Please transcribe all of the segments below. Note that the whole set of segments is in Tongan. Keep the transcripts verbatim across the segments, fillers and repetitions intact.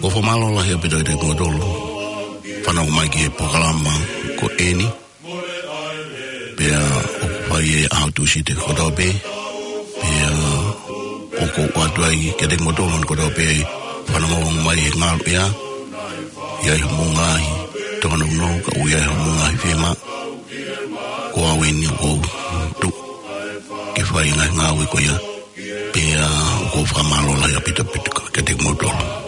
Ko e fakamālō lahi ʻaupito kiate kimoutolu fanongo mai ki he polokalama ko eni. Pea ʻoku fai ʻi he ʻaho Tūsite kotoa pē. Pea ʻoku ou ʻoatu ai kiate kimoutolu kotoa pē fanongo mai he ngalu ia. ʻI ai hoʻomou ngaahi tōnounou, ka ʻoku ʻi ai hoʻomou ngaahi fiemaʻu, ko au eni ʻoku ou tuʻu ke fai e ngaahi ngāue ko ia. Pea ʻoku ou fakamālō lahi ʻaupito kiate kimoutolu.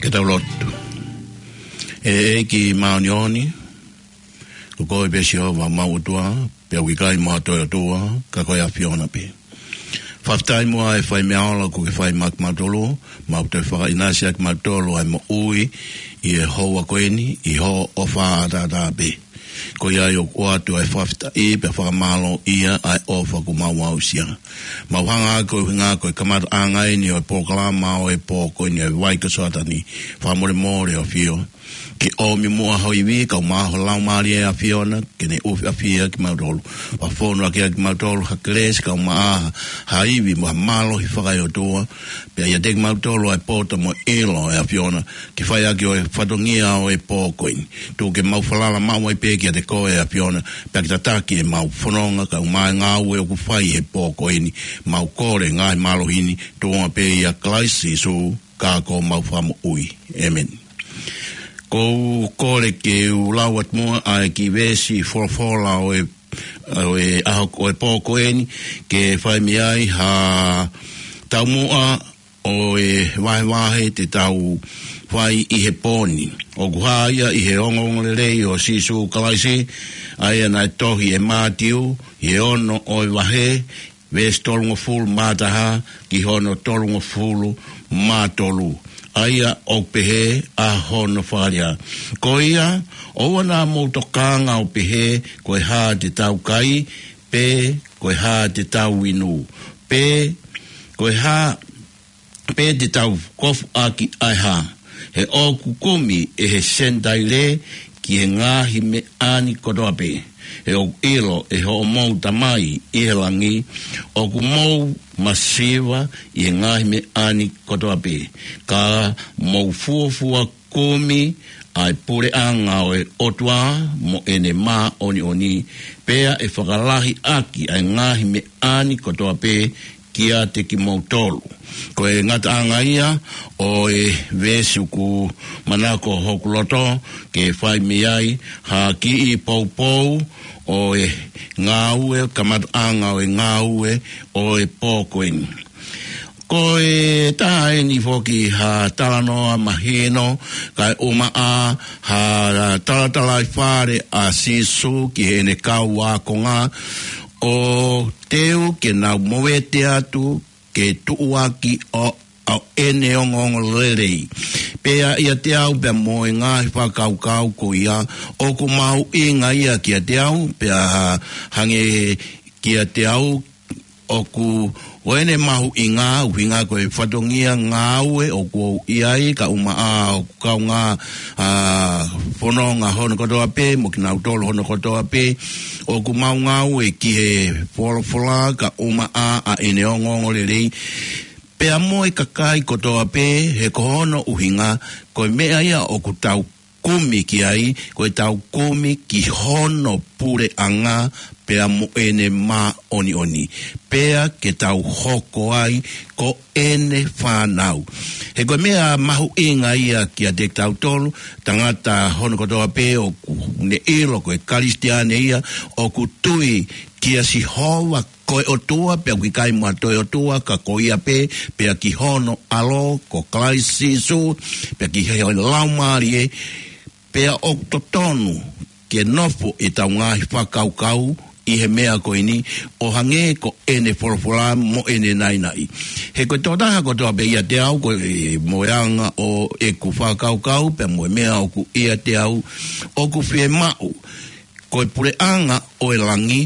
Ke tau lotu. ʻE ʻEiki māʻoniʻoni, ko koe pē Sihova homau ʻOtua, pea ʻoku ʻikai mo ha toe ʻOtua, ka ko e ʻAfiona pē. Fakafetaʻi muʻa e fai meʻa ola kuo ke fai maʻa kimautolu, mau toe fakaʻinasi ʻa kimautolu ʻa e moʻui ʻi he houa ko eni, ʻi hoʻo ʻofa ʻataʻatā pē. Ko ia ai ʻoku ʻoatu ʻa e fakafetaʻi pea fakamālō ia ʻa e ʻofa kuo mau aʻusia. Mau hanga ko e ʻuhinga ko e kamataʻanga eni ʻo e polokalama ʻo e pō ko eni ʻa e Vai ko Soatani, fakamolemole ʻAfio. Ke ʻomi muʻa ho ivi, kae ʻumaʻā ho Laumālie ʻAfiona, ke ne ʻufiʻafia kimautolu. Fakafonu ʻaki ʻa kimautolu ha kelesi, kae ʻumaʻā ha ivi mo ha mālohi fakaeʻotua. Pea ʻiate kimautolu ʻa e poto mo e ʻilo ʻe ʻAfiona, ke fai ʻaki ʻo e fatongia ʻo e pō ko eni. Tuku ke mau falala maʻu ai pē kiate koe ʻAfiona, pea ke tataki ʻemau fononga kae ʻumaʻā e ngāue ʻoku fai he pō ko eni. Mau kole ngaahi mālohi ni, tuʻunga pē ʻia Kalaisi Sīsū, ka ko homau Fakamoʻui. ʻĒmeni. ʻOku ou kole ke u lau atu muʻa ʻa e kiʻi veesi folofola ʻo e, ʻo e ʻaho, ʻo e pō ko eni, ke fai mei ai ha taumuʻa ʻo e vahevahe te tau fai ʻi he pō ni. ʻOku hā ia ʻi he ongoongolelei ʻo Sīsū Kalaisi, ʻa ia naʻe tohi ʻe Mātiu, ʻi he ono ʻo e vahe, veesi tolungofulu mā taha ki hono tolungofulu mā tolu. ʻA ia ʻoku pehē ʻa hono fakalea: Ko ia, ʻoua naʻa mou tokanga ʻo pehē, ko e hā te tau kai, pe ko e hā te tau inu, pe ko e hā, pe te tau kofu ʻaki ʻa e hā. He ʻoku kumi ʻe he Senitaile ki he ngaahi meʻa ni kotoa pē. He ʻoku ʻilo ʻe hoʻomou Tamai ʻi he langi ʻoku mou masiva ʻi he ngaahi meʻa ni kotoa pē. Ka mou fuofua kumi ʻa e puleʻanga ʻo e ʻOtua mo ʻene māʻoniʻoni, pea ʻe fakalahi ʻaki ʻa e ngaahi meʻa ni kotoa pē kiate kimoutolu. Ko e ngataʻanga ia ʻo e veesi ʻoku manako hoku loto ke fai mei ai ha kiʻi poupou ʻo e ngāue, kamataʻanga ʻo e ngāue ʻo e pō ko eni. Ko e taha eni foki ha talanoa mahino, kae ʻumaʻā ha talatalaifale ʻa Sīsū ki heʻene kau ākonga, ʻo teu ke nau movete atu ke tuʻuaki ʻo, ʻo ʻene ongoongolelei. Pea ʻiate au pea mo e ngaahi fakakaukau ko ia, ʻoku mahuʻinga ia kiate au, pea hangē kiate au, ʻoku ʻo ʻene mahuʻinga, ʻuhinga ko e fatongia ngāue ʻoku ou ʻi ai, kae ʻumaʻā ʻoku kaungā, ā, fononga hono kotoa pē, mo kinautolu hono kotoa pē, ʻoku mau ngāue ki he folofola, kae ʻumaʻā ʻa ʻene ongoongolelei, pea mo e kakai kotoa pē, he ko hono ʻuhinga, ko e meʻa ia ʻoku tau kumi ki ai, ko ʻetau kumi ki hono puleʻanga pea mo ʻene māʻoniʻoni, pea ke tau hoko ai ko ʻene fānau. He ko e meʻa mahuʻinga ia kiate kitautolu, tangata hono kotoa pē ʻoku ne ʻilo ko e Kalisitiane ia, ʻoku tui kia Sihova ko e ʻOtua, pea ʻoku ʻikai mo ha toe ʻOtua ka ko ia pē, pea ki hono ʻAlo ko Kalaisi Sīsū, pea ki he Laumālie, pea ʻoku totonu ke nofo ʻetau ngaahi fakakaukau ʻi he meʻa ko eni, ʻo hangē ko ʻene folofola mo ʻene naʻinaʻi. He ko e tokotaha kotoa pē ʻiate au, ko e mo e anga ʻo ʻeku fakakaukau, pea mo e meʻa ʻoku ʻiate au, ʻoku fiemaʻu ko e puleʻanga ʻo e langi,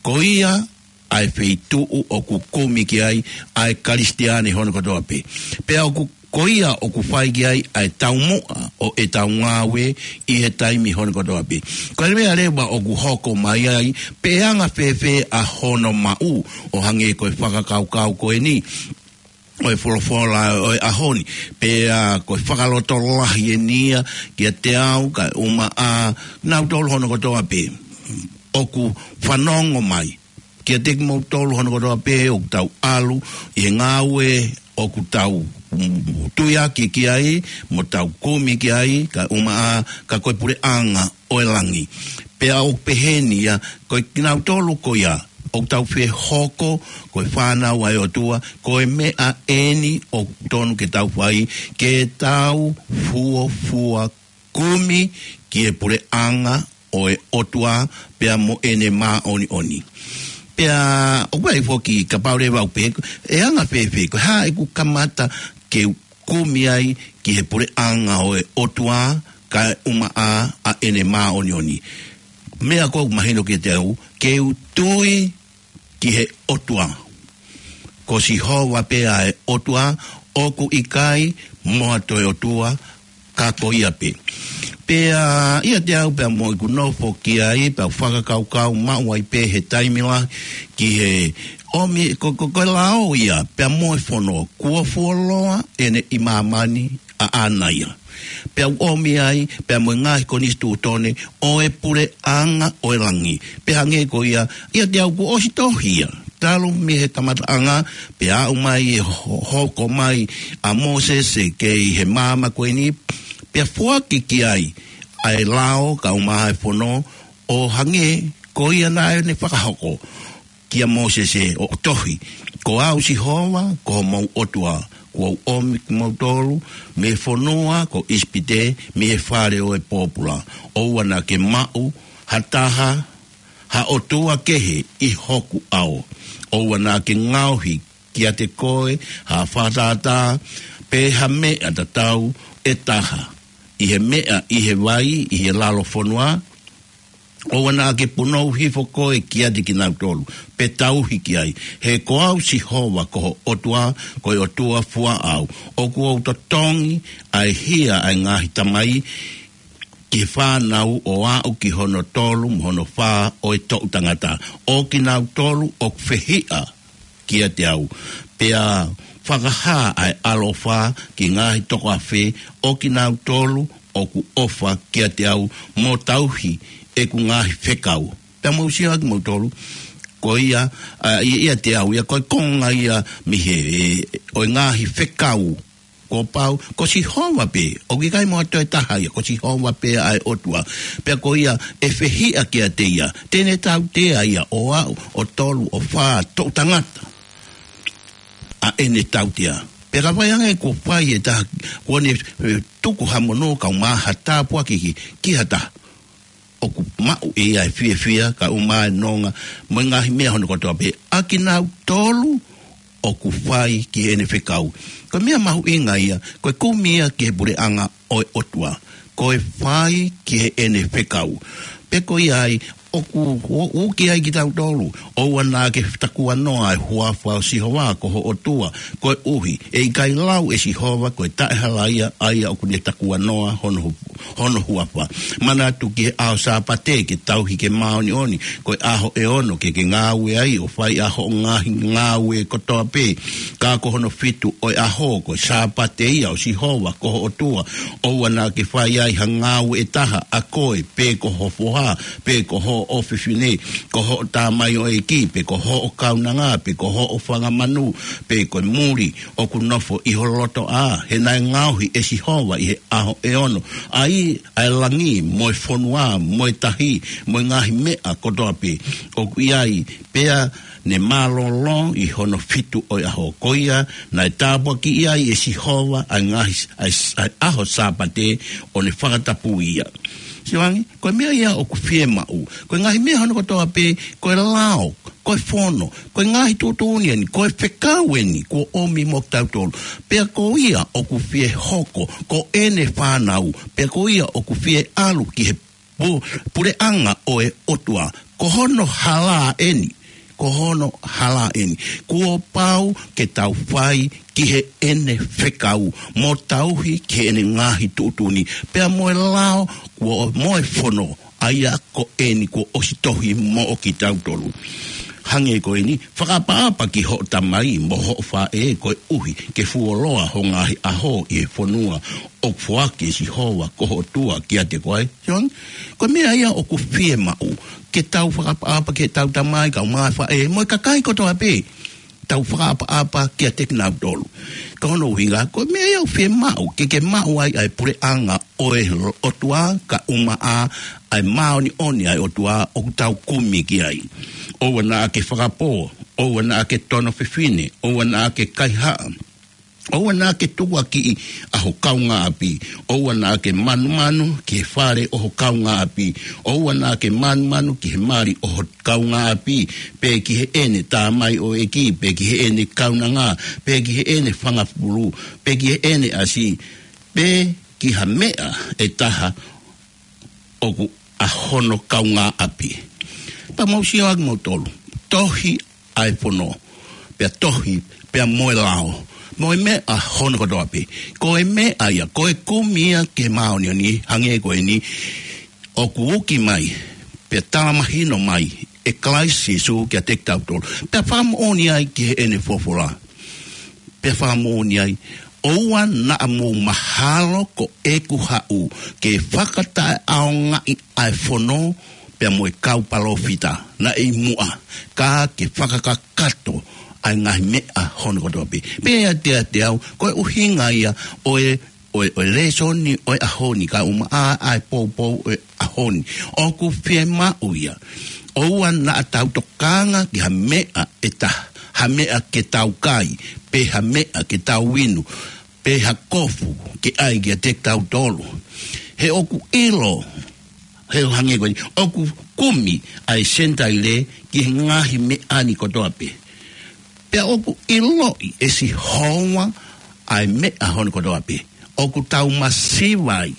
ko ia ʻa e feituʻu ʻoku kumi ki ai ʻa e Kalisitiane hono kotoa pē. Pea ʻoku, ko ia ʻoku fai ki ai ʻa e taumuʻa ʻo ʻetau ngāue ʻi he taimi hono kotoa pē. Ko e meʻa leva ʻoku hoko mai ai, pe ʻe anga fēfē ʻa hono maʻu, ʻo hangē ko e fakakaukau ko eni ʻo e folofola ʻo e ʻaho ni, pea ko e fakalotolahi eni ia kiate au kae ʻumaʻā kinautolu hono kotoa pē ʻoku fanongo mai. Kiate kimoutolu hono kotoa pē ʻoku tau ʻalu ʻi he ngāue ʻoku tau, mm, tuiaki ki ai, mo tau kumi ki ai, kae ʻumaʻā ka ko e puleʻanga ʻo e langi. Pea ʻoku pehē ni ia, ko kinautolu ko ia, ʻoku tau fie hoko ko e fānau ʻa e ʻOtua, ko e meʻa eni ʻoku tonu ke tau fai, ke tau fuofua kumi ki he puleʻanga ʻo e ʻOtua pea mo ʻene māʻoniʻoni. Pea ʻoku ʻi ai foki, kapau leva ʻoku pehē, ʻe anga fēfē, ko e hā ʻeku kamata ke u kumi ai ki he puleʻanga ʻo e ʻOtua, kae ʻumaʻā ʻa ʻene māʻoniʻoni. Meʻa ʻoku mahino kiate au, ke u tui ki he ʻOtua. Ko Sihova pē ʻa e ʻOtua, ʻoku ʻikai mo ha toe ʻotua ka ko ia pē. Pea ʻiate au pea mo ʻeku nofo ki ai, pea fakakaukau maʻu ai pē he taimi lahi ki he ʻomi, ko, ko, ko e lao ia, pea mo e fono, kuo fuoloa ʻene ʻi māmani ʻaʻana ia. Pea u ʻomi ai, pea mo e ngaahi konisitūtone ʻo e puleʻanga ʻo e langi. Pea hangē ko ia, ʻiate au kuo ʻosi tohi ia. Talu mei he kamataʻanga, pea aʻu mai e ho-, hoko mai ʻa Mōsese kei he maama ko eni, pea foaki ki ai ʻa e lao kae ʻumaʻā e fono, ʻo hangē ko ia naʻa ne fakahoko kia Mōsese ʻo tohi, Ko au Sihova, ko homou ʻOtua, kuo u ʻomi kimoutolu mei he fonua ko ʻIsipite, mei he fale ʻo e pōpula. ʻOua naʻa ke maʻu ha taha, ha ʻotua kehe ʻi hoku ʻao. ʻOua naʻa ke ngaohi kiate koe ha fakatātā, pe ha meʻa tatau ʻe taha, ʻi he meʻa, ʻi he vai, ʻi he lalo fonua, ʻoua naʻa ke punou hifo koe kiate kinautolu, pe tauhi ki ai. He ko au Sihova ko ho ʻOtua, ko e ʻOtua fua au. ʻOku ou totongi ʻa e hia ʻa e ngaahi tamai ki he fānau ʻo aʻu ki hono tolu mo hono fā ʻo e toʻu tangata. ʻO kinautolu ʻoku fehiʻa kiate au. Pea fakahā ʻa e ʻaloʻofa ki he ngaahi toko afe ʻo kinautolu ʻoku ʻofa kiate au mo tauhi ʻeku ngaahi fekau. Pea mou sio ʻa kimoutolu, ko ia, ʻa, ʻi, ʻiate au, ia ko e konga ia mei he, ʻe, ʻo e ngaahi fekau. Kuo pau, ko Sihova pē, ʻoku ʻikai mo ha toe taha ia, ko Sihova pē ʻa e ʻOtua. Pea ko ia ʻe fehiʻa kiate ia, te ne tautea ia ʻo aʻu ʻo tolu ʻo fā toʻu tangata ʻa ʻene tautea. Pea ka fai ange kuo fai e taha, kuo ne, ʻe, tuku ha monū kae ʻumaʻā ha tāpuaki ki, ki ha taha, ʻoku maʻu ʻe ia e fiefia kae ʻumaʻā e nonga mo e ngaahi meʻa hono kotoa pē ʻa kinautolu ʻoku fai ki heʻene fekau. Ko e meʻa mahuʻinga ia, ko e kumi ia ki he puleʻanga ʻo e ʻOtua, ko e fai ki heʻene fekau. Pea ko ia ai, ʻoku, ʻo, ʻoku ʻi ai kitautolu, ʻoua naʻa ke takuanoa e huafa ʻo Sihova ko ho ʻOtua, koeʻuhi ʻe ʻikai lau ʻe Sihova ko e taʻehalaia ʻa ia ʻoku ne takuanoa hono hu-, hono huafa. Manatu ki he ʻaho Sāpate ke tauhi ke māʻoniʻoni, ko e ʻaho ʻe ono ke ke ngāue ai ʻo fai ʻa hoʻo ngaahi ngāue kotoa pē. Ka ko hono fitu ʻo e ʻaho ko e Sāpate ia ʻo Sihova ko ho ʻOtua, ʻoua naʻa ke fai ai ha ngāue ʻe taha, ʻa koe, pe ko ho foha, pe ko hoʻo ʻofefine, ko hoʻo tamaioʻeiki, pe ko hoʻo kaunanga, pe ko hoʻo fanga manu, pe ko e muli ʻoku nofo ʻi ho lotoʻā, he naʻe ngaohi ʻe Sihova ʻi he ʻaho ʻe ono ʻa e, ʻa e langi, mo e fonua, mo e tahi, mo e ngaahi meʻa kotoa pē ʻoku ʻi ai, pea ne mālōlō ʻi hono fitu ʻo e ʻaho. Ko ia naʻe tāpuakiʻi ai ʻe Sihova ʻa e ngaahi, ʻa e, ʻa e ʻaho Sāpate ʻo ne fakatapui ia. Sio ange, ko e meʻa ia ʻoku fiemaʻu. Ko e ngaahi meʻa hono kotoa pē, ko e lao, ko e fono, ko e ngaahi tuʻutuʻuni eni, ko e fekau eni kuo ʻomi mo kitautolu. Pea ko ia ʻoku fie hoko ko ʻene fānau, pea ko ia ʻoku fie ʻalu ki he pu-, puleʻanga ʻo e ʻOtua. Ko hono hala eni, ko hono hala eni. Kuo pau ke tau fai ki heʻene fekau, mo tauhi ki heʻene ngaahi tuʻutuʻuni, pea mo e lao, kuo, mo e fono, ʻa ia ko eni kuo ʻosi tohi moʻo kitautolu. Hangē ko eni, fakaʻapaʻapa ki hoʻo tamai mo hoʻo faʻē, koeʻuhi ke fuoloa ho ngaahi ʻaho ʻi he fonua ʻoku foaki ʻe Sihova ko ho ʻOtua kiate koe. Sio ange, ko e meʻa ia ʻoku fiemaʻu, ke tau fakaʻapaʻapa ki heʻetau tamai kae ʻumaʻā e faʻē, mo e kakai kotoa pē, tau fakaʻapaʻapa kiate kinautolu. Ko hono ʻuhinga, ko e meʻa ia ʻoku fiemaʻu, ke ke maʻu ai ʻa e puleʻanga ʻo e ʻOtua, kae ʻumaʻā ʻa e māʻoniʻoni ʻa e ʻOtua ʻoku tau kumi ki ai. ʻoua naʻa ke fakapō, ʻoua naʻa ke tono fefine, ʻoua naʻa ke kaihaʻa, ʻoua naʻa ke tukuakiʻi ʻa ho kaungāʻapi, ʻoua naʻa ke manumanu ki he fale ʻo ho kaungāʻapi, ʻoua naʻa ke manumanu ki he mali ʻo ho kaungāʻapi, pe ki heʻene tamai ʻo e ʻEiki, pe ki heʻene kaunanga, pe ki heʻene fanga fufulu, pe ki heʻene ʻasi, pe ki ha meʻa ʻe taha ʻoku ʻa hono kaungāʻapi. Pea mou sio ʻaki moutolu, tohi ʻa e fono, pea tohi, pea mo e lao, mo e meʻa hono kotoa pē. Ko e meʻa ia, ko e kumi ia ki he māʻoniʻoni, hangē ko eni, ʻoku uki mai, pea tala mahino mai ʻe Kalaisi Sīsū kiate kitautolu. Pea fakamoʻoni ai ki heʻene folofola. Pea fakamoʻoni ai, ʻoua naʻa mou mahalo ko ʻeku haʻu ke fakataʻeʻaongaʻi ʻa e fono, pea mo e kau palōfita naʻe ʻi muʻa, ka ke fakakakato ʻa e ngaahi meʻa hono kotoa pē. Pea ʻiate au, ko e ʻuhinga ia ʻo e, ʻo e, ʻo e lēsoni ʻo e ʻaho ni, ka ʻumaʻā ʻa e poupou ʻo e ʻaho ni. ʻOku fiemaʻu ia, ʻoua naʻa tau tokanga ki ha meʻa ʻe taha, ha meʻa ke tau kai, pe ha meʻa ke tau inu, pe ha kofu ke ʻai kiate kitautolu. He ʻoku ʻilo, he ʻo hangē ko eni, ʻoku kumi ʻa e Senitaile ki he ngaahi meʻa ni kotoa pē. Pea ʻoku ʻiloʻi ʻe Sihova ʻa e meʻa hono kotoa pē ʻoku tau masiva ai.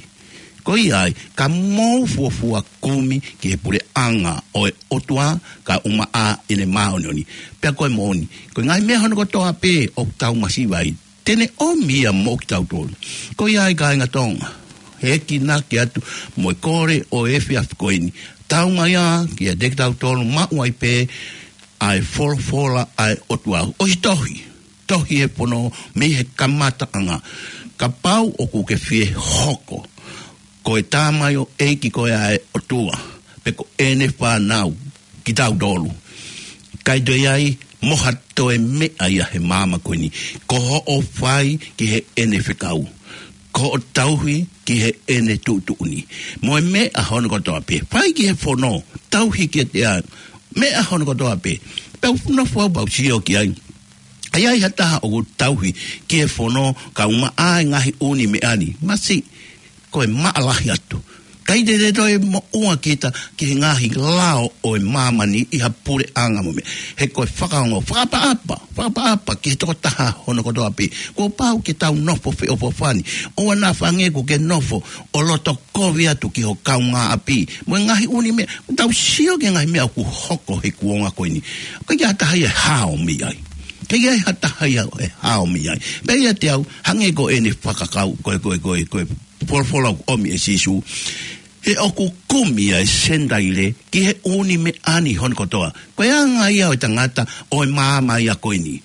Ko ia ai, ka mou fuofua kumi ki he puleʻanga ʻo e ʻOtua, ka ʻumaʻā ʻene māʻoniʻoni. Pea ko e moʻoni, ko e ngaahi meʻa hono kotoa pē ʻoku tau masiva ai, te ne ʻomi ia mo kitautolu. Ko ia ai, kāinga Tonga, he ʻeku kole atu mo e kole ʻo e efiafi ko eni, tau mai ā kiate kitautolu, maʻu ai pē ʻa e folofola ʻa e ʻOtua. ʻOsi tohi, tohi e fono mei he kamataʻanga. Kapau ʻoku ke fie hoko ko e tamaioʻeiki ko ē ʻa e ʻOtua, pe ko ʻene fānau kitautolu, ʻikai toe ʻi ai mo ha toe meʻa ia he māmani ko eni. Ko hoʻo fai ki heʻene fekau, ko hoʻo tauhi ki heʻene tuʻutuʻuni, mo e meʻa hono kotoa pē, fai ki he fono, tauhi kiate ia, meʻa hono kotoa pē. Pea u nofo au pea u sio ki ai, ʻa ia ʻi ai ha taha ʻoku tauhi ki he fono ka ʻumaʻā e ngaahi ʻū meʻa ni, masiʻi, ko e maʻa lahi atu. ʻIkai te te toe moʻua kita ki he ngaahi lao ʻo e māmani ʻi ha puleʻanga mo e meʻa. He ko e fakaongo, fakaʻapaʻapa, fakaʻapaʻapa ki he tokotaha hono kotoa pē. Kuo pau ke tau nofo feʻofoʻofani. ʻOua naʻa hangē ʻoku ke nofo ʻo loto kovi atu ki ho kaungāʻapi mo e ngaahi ʻū meʻa. Tau sio ki he ngaahi meʻa ʻoku hoko he kuonga ko eni. ʻIkai ha taha ia ʻe hao mei ai. ʻIkai ha taha ia ʻe hao mei ai. Pea ʻiate au, hangē ko ʻene fakakau, ko e, ko e, ko e, ko e folofola ʻoku ʻomi ʻe Sīsū, he ʻoku kumi ʻa e Senitaile ki he ʻū meʻa ni hono kotoa. Ko e anga ia ʻo e tangata ʻo e maama ia ko eni,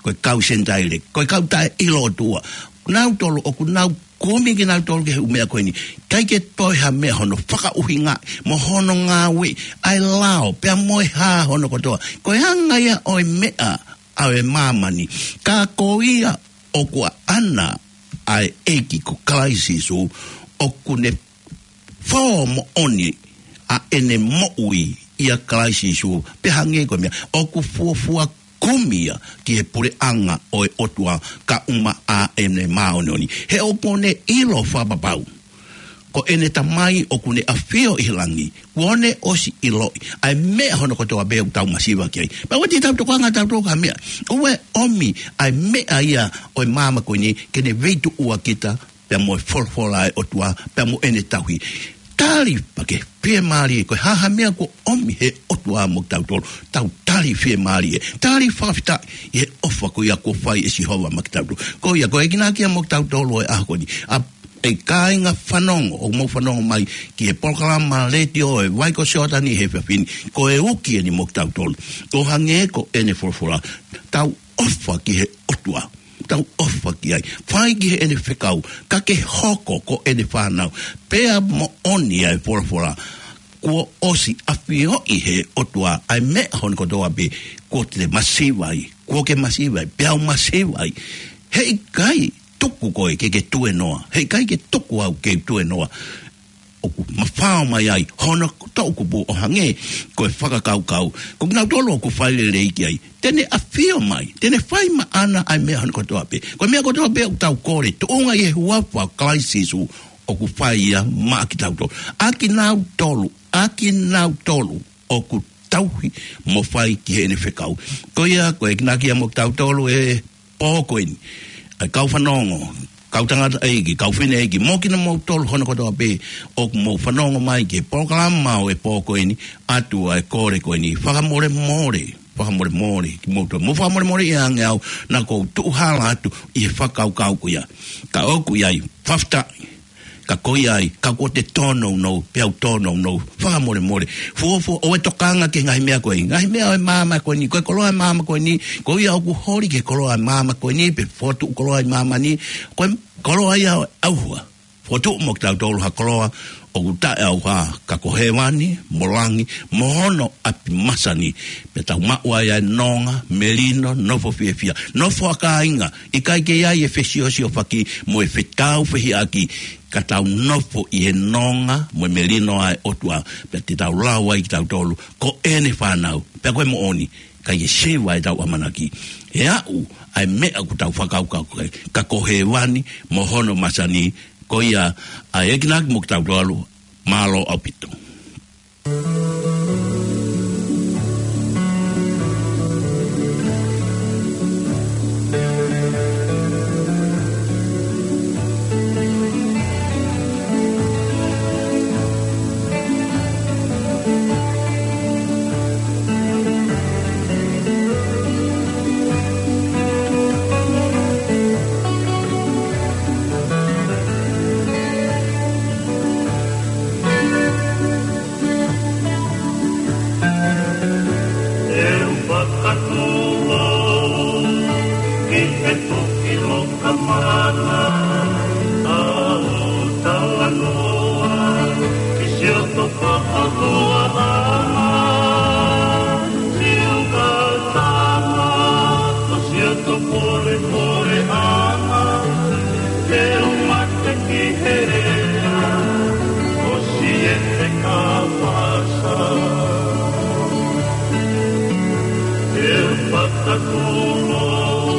ko e kau Senitaile, ko e kau taʻeʻilo ʻOtua. Nautolu ʻoku nau kumi kinautolu ki he ʻū meʻa ko eni. ʻIkai ke toe ha meʻa hono fakaʻuhinga mo hono ngāueʻi ʻa e lao, pea mo e hā hono kotoa. Ko e anga ia ʻo e meʻa ʻa e māmani. Ka ko ia ʻoku ʻaʻana ʻa e ʻEiki ko Kalaisi Sīsū, ʻoku ne fō moʻoni ʻa ʻene moʻui ʻia Kalaisi Sīsū, pea hangē ko e meʻa, ʻoku fuofua kumi ia ki he puleʻanga ʻo e ʻOtua ka ʻumaʻā ʻene māʻoniʻoni. He ʻoku ne ʻilo fakapapau ko ʻene Tamai ʻoku ne ʻafio ʻi he langi, kuo ne ʻosi ʻiloʻi ʻa e meʻa hono kotoa pē ʻoku tau masiva ki ai. Pea ʻoua te tau tokanga tautolu ki ha meʻa. ʻOua ʻe ʻomi ʻa e meʻa ia ʻo e maama ko eni ke ne veituʻua kita pea mo e folofola ʻa e ʻOtua, pea mo ʻene tauhi. Tali pē ke fiemālie, ko e hā ha meʻa kuo ʻomi he ʻOtua mo kitautolu, tau tali fiemālie, tali fakafetaʻi ʻi he ʻofa ko ia kuo fai ʻe Sihova maʻa kitautolu. Ko ia, ko e kinakia mo kitautolu ʻo e ʻaho ko eni. ʻA e kāinga fanongo, ʻoku mou fanongo mai ki he polokalama letiō ʻa e Vai ko Siotani he efiafi ni, ko e uki eni mo kitautolu. ʻO hangē ko ʻene folofola, tau ʻofa ki he ʻOtua. Tau ʻofa ki ai. Fai ki heʻene fekau, ka ke hoko ko ʻene fānau. Pea moʻoni ʻa e folofola, kuo ʻosi ʻafioʻi he ʻOtua ʻa e meʻa hono kotoa pē kuo te masiva ai, kuo ke masiva ai, pea u masiva ai. Heʻikai tuku koe ke ke tuēnoa. Heʻikai ke tuku au ke tuēnoa. ʻoku mafao mai ai hono toʻukupu ʻo hangē ko e fakakaukau ko kinautolu ʻoku fai lelei ki ai. Te ne ʻafio mai, te ne fai maʻana ʻa e meʻa hono kotoa pē. Ko e meʻa kotoa pē ʻoku tau kole, tuʻunga ʻi he huafa ʻo Kalaisi Sīsū, ʻoku fai ia maʻa kitautolu. ʻA kinautolu, ʻa kinautolu ʻoku tauhi mo fai ki heʻene fekau. Ko ia, ko e ekinaki ia mo kitautolu he pō ko eni. ʻA e kau fanongo, kau tangataʻeiki, kau fineʻeiki, mo kinautolu hono kotoa pē ʻoku mou fanongo mai ki he polokalama ʻo e pō ko eni, ʻoatu ʻa e kole ko eni, fakamolemole, fakamolemole kimoutolu. Mou fakamolemoleʻi ange au, naʻa ku tuʻu hala atu ʻi he fakakaukau ko ia. Ka ʻoku ʻi ai, fakafetaʻi, ka ko ia ai, ka kuo te tōnounou, pea u tōnounou, fakamolemole. Fuofua ʻoua ʻe tokanga ki he ngaahi meʻa ko ē. Ngaahi meʻa ʻo e māmani ko eni, ko e koloa ʻo e māmani ko eni, ko ia ʻoku holi ki he koloa ʻo e māmani ko eni, pe fokotuʻu koloa ʻi māmani, ko e koloa ia ʻo e ʻauha. Fokotuʻu mo kitautolu ha koloa ʻoku taʻeʻauha, ka ko hēvani, mo langi, mo hono ʻapi masani. Pea tau maʻu ai ʻa e nonga, melino, nofo fiefia, nofo ʻa kāinga, ʻikai ke ʻi ai e fesiosiofaki mo e fetāufehiʻaki, ka tau nofo ʻi he nonga mo e melino ʻa e ʻOtua, pea te tau lau ai kitautolu ko ʻene fānau, pea ko e moʻoni, ʻikai ke siva ʻetau ʻamanaki. He aʻu ʻa e meʻa ʻoku tau fakakaukau ki ai, ka ko hēvani mo hono masani. Ko ia ʻa e ekinaki mo kitautolu, mālō ʻaupito. ʻE u fakatū au ki he toki loka mana, ʻa hoʻo talanoa ki siʻoto fakahoaʻanga, siʻo kātanga, ko siʻoto polepoleʻanga, te u mate ki he lea ʻo Siete Kapasa. ʻE u fakatū au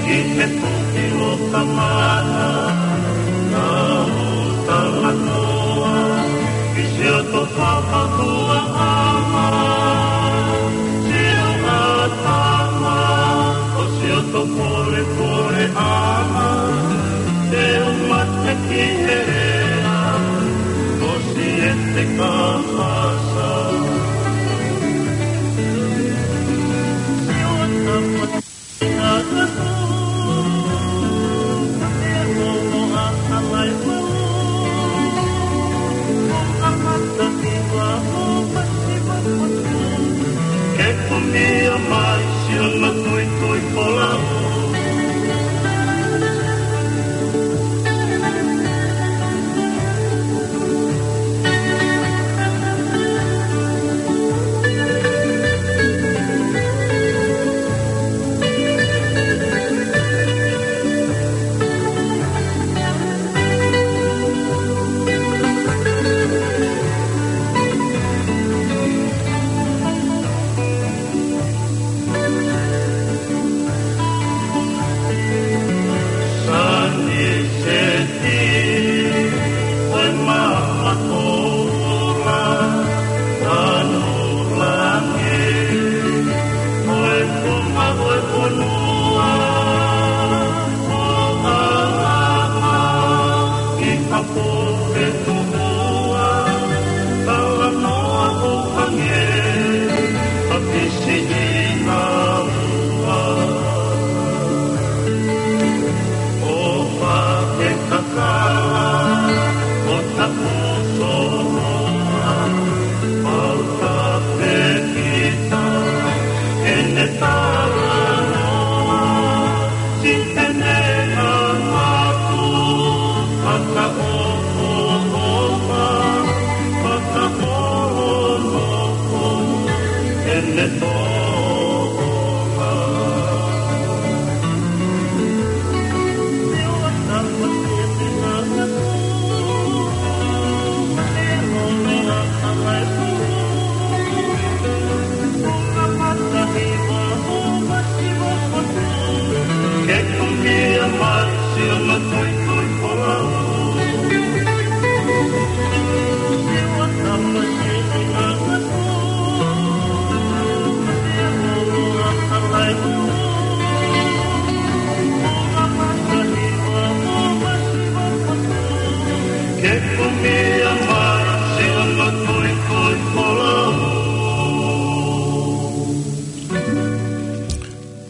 ki he toki loka mana, ʻa hoʻo talanoa ki siʻoto fakahoaʻanga, siʻo kātanga, ko siʻoto polepoleʻanga, te u mate ki he lea ʻo Siete Kapasa. Siʻo tapa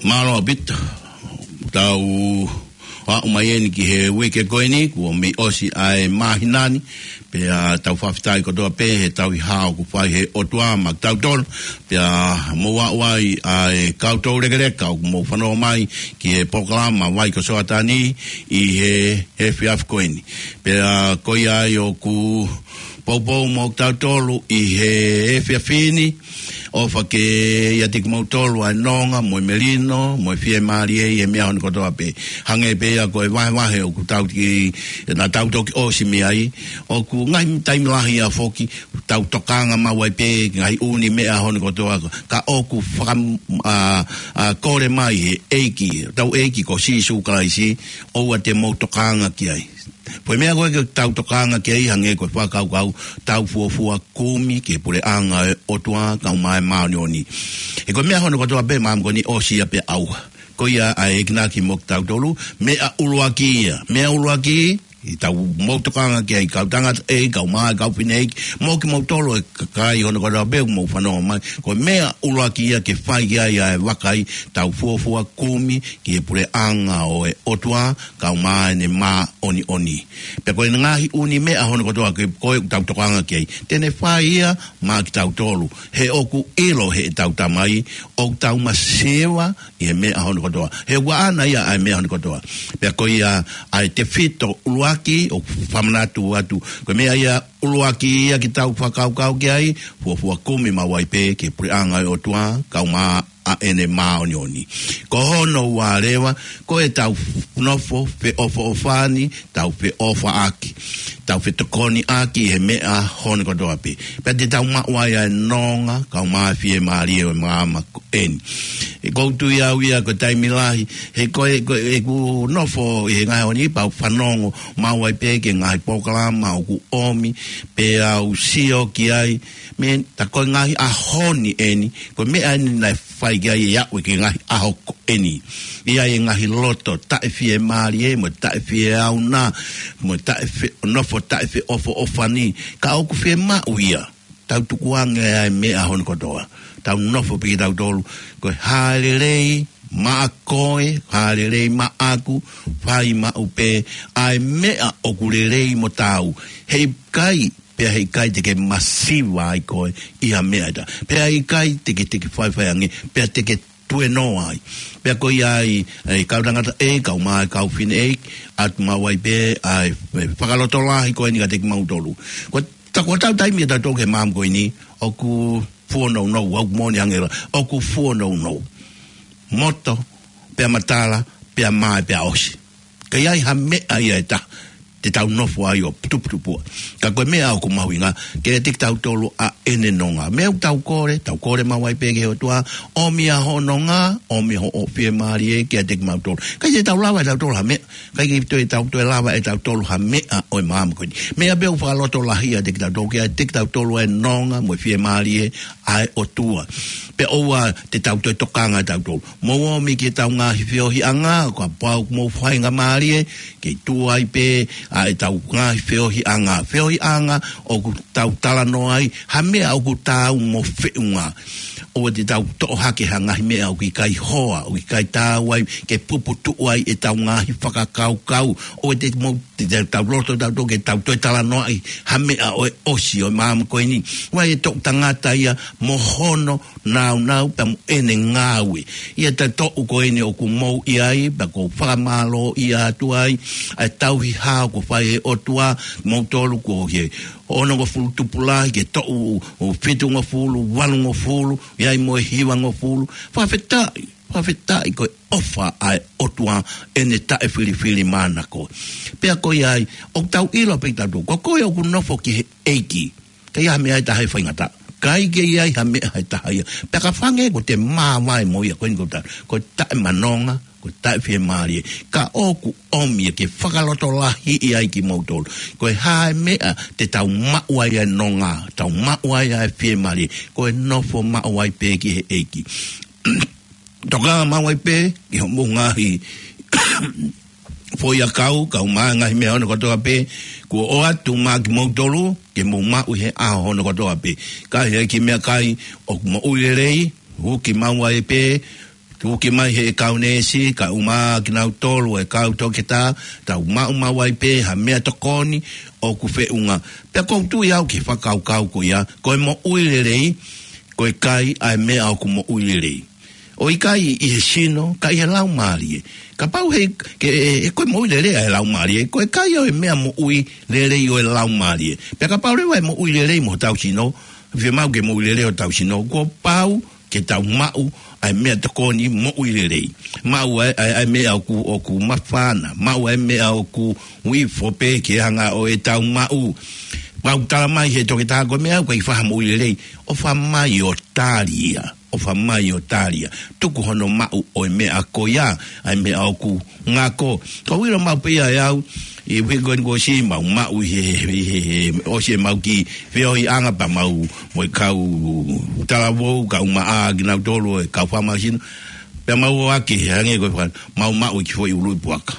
Mālō ʻaupito. Tau aʻu mai eni ki he uike ko eni, kuo mei ʻosi ʻa e māhina ni, pea tau fakafetaʻi kotoa pē he tauhi hao kuo fai he ʻOtua maʻa kitautolu, pea mou aʻu ai ʻa e kau toulekeleka ʻoku mou fanongo mai ki he polokalama Vai ko Soatani ʻi he efiafi ko eni. Pea ko ia ai ʻoku poupou mo kitautolu ʻi he efiafi ni, ʻofa ke ʻiate kimoutolu ʻa e nonga, mo e melino, mo e fiemālie ʻi he meʻa hono kotoa pē. Hangē pē ia ko e vahevahe ʻoku tau ki, naʻa tau toki ʻosi mei ai, ʻoku ngaahi taimi lahi ia foki, tau tokanga maʻu ai pē, ngaahi ʻū meʻa hono kotoa, ka ʻoku faka-, ʻa, ʻa, kole mai he ʻEiki, tau ʻEiki ko Sīsū Kalaisi, ʻoua te mou tokanga ki ai. Ko e meʻa ko ē ke tau tokanga ki ai hangē ko e fakakaukau, tau fuofua kumi ki he puleʻanga ʻo e ʻOtua kae ʻumaʻā e māʻoniʻoni. He ko e meʻa hono kotoa pē māmani ko eni ʻosi ia pē ʻauha. Ko ia ʻa e enginaki mo kitautolu, meʻa ʻuluaki ia, meʻa ʻuluaki, ʻi heʻetau mou tokanga ki ai kau tangataʻeiki, kau mā, kau fineʻeiki, mo kimoutolu ʻa e kakai hono kotoa pē ʻoku mou fanongo mai. Ko e meʻa ʻuluaki ia ke fai ki ai ʻa e vakai, tau fuofua kumi ki he puleʻanga ʻo e ʻOtua, kae ʻumaʻā ʻene māʻoniʻoni. Pea ko e ngaahi ʻū meʻa hono kotoa ke ko ē ʻoku tau tokanga ki ai, te ne fai ia maʻa kitautolu. He ʻoku ʻilo heʻetau Tamai, ʻoku tau masiva ʻi he meʻa hono kotoa. He ʻoku ʻaʻana ia ʻa e meʻa hono kotoa. Pea ko ia ʻa e tefito ʻuluaki ʻoku fakamanatu atu. Ko e meʻa ia ʻuluaki ia ke tau fakakaukau ki ai, fuofua kumi maʻu ai pē ki he puleʻanga ʻo e ʻOtua, kae ʻumaʻā ʻa ʻene māʻoniʻoni. Ko hono ua leva, ko ʻetau nofo feʻofoʻofani, tau feʻofaʻaki, tau fetokoniʻaki he meʻa hono kotoa pē. Pea te tau maʻu ai ʻa e nonga, kae ʻumaʻā e fiemālie ʻo e māmani ko eni. ʻOku ou tui au ia ko e taimi lahi, he ko e, ko e, ʻeku nofo ʻi he ngaahi ʻaho ni pea u fanongo maʻu ai pē ki he ngaahi polokalama ʻoku ʻomi, pea u sio ki ai, mei he, tā ko e ngaahi ʻaho ni eni, ko e meʻa eni naʻe fai ki ai e aʻu ki he ngaahi ʻaho ko eni. ʻI ai e ngaahi loto taʻefiemālie, mo e taʻefieʻauna, mo e taʻefe-, nofo taʻefeʻofoʻofani, ka ʻoku fiemaʻu ia, tau tukuange ʻa e meʻa hono kotoa. Tau nofo pē kitautolu, ko e hā e lelei maʻa koe, hā e lelei maʻaku, fai maʻu pē ʻa e meʻa ʻoku lelei mo taau. Heʻikai, pea heʻikai te ke masiva ai koe ʻi ha meʻa ʻe taha. Pea heʻikai te ke, te ke faifai ange, pea te ke tuenoa ai. Pea ko ia ai, ʻa e kau tangataʻeiki, kau mā, kau fineʻeiki, ʻoatu maʻu ai pē ʻa e, e fakalotolahi ko eni kiate kimautolu. Ko ta-, ko ʻetau taimi ʻatautolu ki he māmani ko eni, ʻoku fuonounou, ʻoku moʻoni ange la, ʻoku fuonounou. Moto, pea matala, pea mae, pea ʻosi. Ka ʻi ai ha meʻa ia ʻe taha te tau nofo ai ʻo tuputupuʻa. Ka ko e meʻa ʻoku mahuʻinga, ke ʻiate kitautolu ʻa ʻene nonga. Meʻa ʻoku tau kole, tau kole maʻu ai pē ki he ʻOtua, ʻomi ʻa hoʻo nonga, ʻomi hoʻo fiemālie kiate kimautolu. ʻIkai te tau lava ʻe tautolu ha meʻa, ʻikai ke toe tau toe lava ʻe tautolu ha meʻa ʻo e māmani ko eni. Meʻa pē ʻoku fakalotolahi ʻiate kitautolu, ke ʻiate kitautolu ʻa e nonga mo e fiemālie ʻa e ʻOtua. Pea ʻoua te tau toe tokanga ʻe tautolu. Mou ō mai ki heʻetau ngaahi feohiʻanga, kapau ʻoku mou faingamālie, kei tuʻu ai pē ʻa ʻetau ngaahi feohiʻanga. Feohiʻanga ʻoku tau talanoa ai ha meʻa ʻoku taau mo feʻunga. ʻOua te tau toʻo hake ha ngaahi meʻa ʻoku ʻikai hoa, ʻoku ʻikai taau ai, ke puputuʻu ai ʻetau ngaahi fakakaukau. ʻOua te mou, te, te tau loto tautolu ke tau toe talanoaʻi ha meʻa ʻo e ʻosi ʻo e māmani ko eni. ʻOku ʻi ai e toʻu tangata ia mo hono nāunau pea mo ʻene ngāue. ʻI he taimi ko eni ʻoku mou ʻi ai, pea ʻoku ou fakamālōʻia atu ai, ʻa e tauhi hao kuo fai ʻe he ʻOtua, moutolu kuo ʻi he onongofulu tupulahi, ki he toʻu ʻo fitungofulu, valungofulu, ʻi ai mo e hivangofulu. Fakafetaʻi, fakafetaʻi ko e ʻofa ʻa e ʻOtua ʻene taʻefilifilimānako. Pea ko ia ai, ʻoku tau ʻilo pē tautolu, ko koe ʻoku nofo ki he ʻEiki. ʻIkai ha meʻa ʻe taha ʻe faingataʻa. ʻIkai ke ʻi ai ha meʻa he taha ia. Pea ka hangē ko ʻete māvae mo ia ko eni ko ta, ko e taʻemanonga, ko e taʻefiemālie. Ka ʻoku ʻomi ia ke fakalotolahiʻi ai kimoutolu. Ko e hā e meʻa te tau maʻu ai ʻa e nonga, tau maʻu ai ʻa e fiemālie. Ko e nofo maʻu ai pē ki he ʻEiki. Tokanga maʻu ai pē, ki hoʻomou ngaahi foʻiʻakau, kae ʻumaʻā e ngaahi meʻa hono kotoa pē, kuo ʻoatu maʻa kimoutolu, ke mou maʻu he ʻaho hono kotoa pē. Ka ʻi ai e kiʻi meʻakai ʻoku moʻui lelei, uki maʻu ai pē, uki mai he kau neesi, kae ʻumaʻā kinautolu e kau toketā, tau maʻu maʻu ai pē, ha meʻatokoni, ʻoku feʻunga. Pea ʻoku ou tui au ki he fakakaukau ko ia, ko e moʻui lelei, ko e kai ʻa e meʻa ʻoku moʻui lelei. ʻOku ʻikai ʻi he sino, ka ʻi he laumālie. Kapau he, ke, ʻe, ʻe, ko e moʻui lelei ʻa e laumālie, ko e kai ʻo e meʻa moʻui lelei ʻo e laumālie. Pea kapau leva ʻe moʻui lelei mo hotau sino, fiemaʻu ke moʻui lelei hotau sino, kuo pau ke tau maʻu ʻa e meʻatokoni moʻui lelei. Maʻu ʻa e, ʻa e, ʻa e meʻa ʻoku, ʻoku māfana, maʻu ʻa e meʻa ʻoku ifo pē ke hanga ʻo ʻetau maʻu. Pau tala mai he toketā ko e meʻa ʻoku ʻikai fai ha moʻui lelei, ʻofa mai ʻo tali ia. ʻOfa mai ʻo tali ia. Tuku hono maʻu ʻo e meʻa ko ia, ʻa e meʻa ʻoku ngako. Ko e ʻilo maʻu pē ia ʻe au, ʻi he uike ko eni kuo ʻosi mau maʻu ʻi he, ʻi he, he, ʻosi ʻemau kiʻi feohiʻanga pea mau mo e kau talavou, kae ʻumaʻā kinautolu e kau fakamālohisino. Pea mau ō ʻaki, hangē ko e faka-, mau maʻu e kiʻi foʻi ʻuluʻi puaka.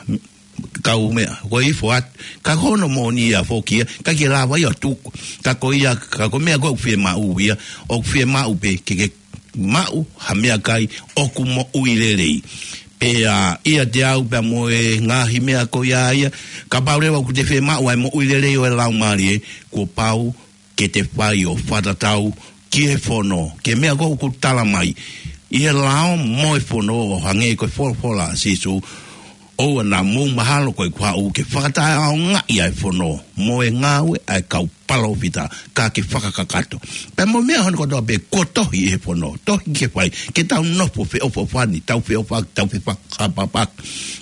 Kau meʻa, ko e ifo atu. Ka ko hono moʻoni ia foki ia, ʻikai ke lava ia ʻo tuku. Ka ko ia, ka ko e meʻa ko ē ʻoku fiemaʻu ia, ʻoku fiemaʻu pē ke, ke maʻu ha meʻakai ʻoku moʻui lelei. Pea ʻiate au pea mo e ngaahi meʻa ko ia ia, kapau leva ʻoku te fiemaʻu ʻa e moʻui lelei ʻo e laumālie, kuo pau ke te fai ʻo fakatatau ki he fono, ki he meʻa ko ē ʻoku tala mai ʻi he lao mo e fono, ʻo hangē ko e folofola ʻa Sīsū, ʻoua naʻa mou mahalo ko ʻeku haʻu ke fakataʻeʻaongaʻi ʻa e fono mo e ngāue ʻa e kau palōfita, ka ke fakakakato. Pea mo e meʻa hono kotoa pē kuo tohi ʻi he fono, tohi ke fai, ke tau nofo feʻofoʻofani, tau feʻofa-, tau fefakapapaki.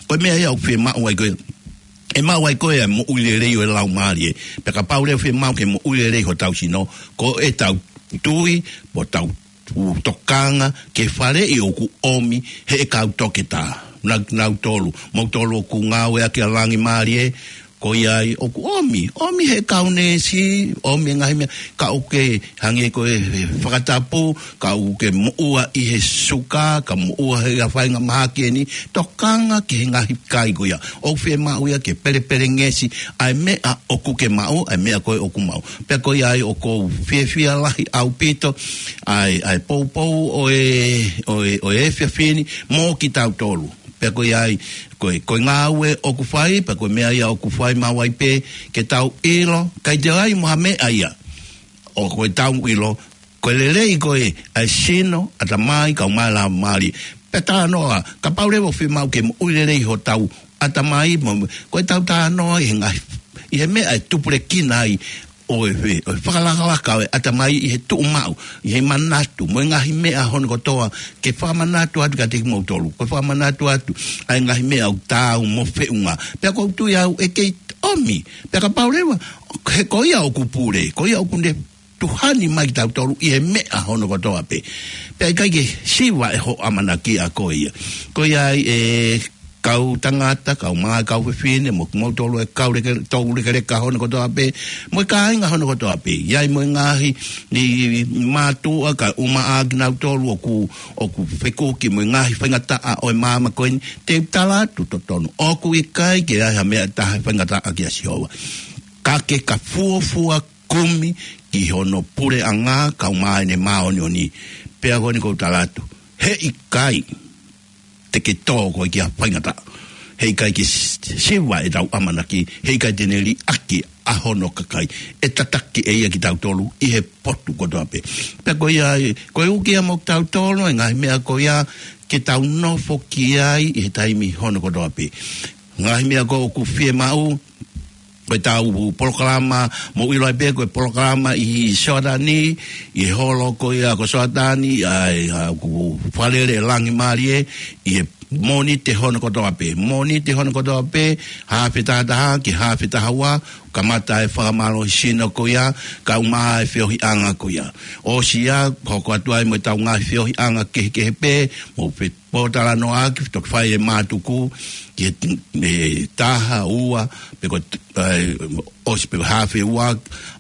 Ko e meʻa ia ʻoku fiemaʻu ai ko ē, ʻe maʻu ai ko ē ʻa e moʻui lelei ʻo e laumālie. Pea kapau leva ʻoku fiemaʻu ke moʻui lelei hotau sino, ko ʻetau tui, mo ʻetau tokanga ki he faleʻi ʻoku ʻomi ʻe he kau toketā. Naʻa, naʻa kimoutolu, moutolu ʻoku ngāueʻaki ʻa e langi mālie, ko ia ai ʻoku ʻomi, ʻomi ʻe he kau neesi, ʻomi e ngaahi meʻa, ka ʻoku ke hangē ko e, e fakatapu, ka ʻoku ke moʻua ʻi he suka, ka moʻua he ʻa e faʻahinga mahaki eni, tokanga ki he ngaahi kai ko ia. ʻOku fiemaʻu ia ke pelepelengesi ʻa e meʻa ʻoku ke maʻu, ʻa e meʻa ko ē ʻoku maʻu. Pea ko ia ai ʻoku ou fiefia lahi ʻaupito ʻa e, ʻa e poupou ʻo e, ʻo e, ʻo e efiafi ni mo kitautolu. Pea ko ia ai, ko e, ko e ngāue ʻoku fai, pea ko e meʻa ia ʻoku fai maʻu ai pē, ke tau ʻilo, ʻikai toe ʻi ai mo ha meʻa ia. ʻOku tau ʻilo, ko e lelei ko ē ʻa e sino, ʻatamai, kae ʻumaʻā e laumālie. Pea talanoa, kapau leva ʻoku fiemaʻu ke moʻui lelei hotau ʻatamai, mo, ko ʻetau talanoa ʻi he ngaahi, ʻi he meʻa ʻe tupulekina ai ʻo e, ʻo e fakalakalaka ʻo e ʻatamai ʻi he tuʻumaʻu, ʻi he manatu, mo e ngaahi meʻa hono kotoa, ke fakamanatu atu kiate kimoutolu, ko e fakamanatu atu ʻa e ngaahi meʻa ʻoku taau mo feʻunga. Pea ʻoku ou tui au ʻe kei ʻomi, pea kapau leva, he ko ia ʻoku pule, ko ia ʻoku ne tuhani mai kitautolu ʻi he meʻa hono kotoa pē. Pea ʻikai ke siva ʻe hoʻo ʻamanaki ʻa ko ia. Ko ia ai e kau tangata, kae ʻumaʻā e kau fefine, mo kimoutolu e kau leke-, toulekeleka hono kotoa pē, mo e kāinga hono kotoa pē. ʻI ai mo e ngaahi, ʻi, ʻi mātuʻa, kae ʻumaʻā kinautolu ʻoku, ʻoku fekuki mo e ngaahi faingataʻa ʻo e māmani ko eni, te u tala atu totonu. ʻOku ʻikai ke ʻi ai ha meʻa ʻe taha ʻe faingataʻa kia Sihova. Ka ke ka fuofua kumi ki hono puleʻanga kae ʻumaʻā ʻene māʻoniʻoni. Pea ko eni ʻoku ou tala atu, heʻikai te ke tō koe ki ha faingataʻa. Heʻikai ke s-, siva ʻetau ʻamanaki, heʻikai te ne liʻaki ʻa hono kakai. ʻE tataki ʻe ia kitautolu ʻi he potu kotoa pē. Pea ko ia ai, ko e uki ia mo kitautolu, e ngaahi meʻa ko ia ke tau nofo ki ai ʻi he taimi hono kotoa pē. Ngaahi meʻa ko ē ʻoku fiemaʻu, ko ʻetau polokalama, mou ʻilo ai pē ko e polokalama ʻi Soatani, ʻi he holo ko ia ko Soatani, ʻa e, ʻa, ʻoku fakalele e langi mālie, ʻi he Mōnite hono kotoa pē. Mōnite hono kotoa pē, haafe taha taha ki he haafe taha ua, kamata e fakamālohisino ko ia, kae ʻumaʻā e feohiʻanga ko ia. ʻOsi ia, hoko atu ai mo ʻetau ngaahi feohiʻanga kehekehe pē, mou fepotalanoaʻaki, toki fai e mātuku, ki he t-, e taha, ua, pe ko t-, ʻai, ʻosi pe ko e haafe ua,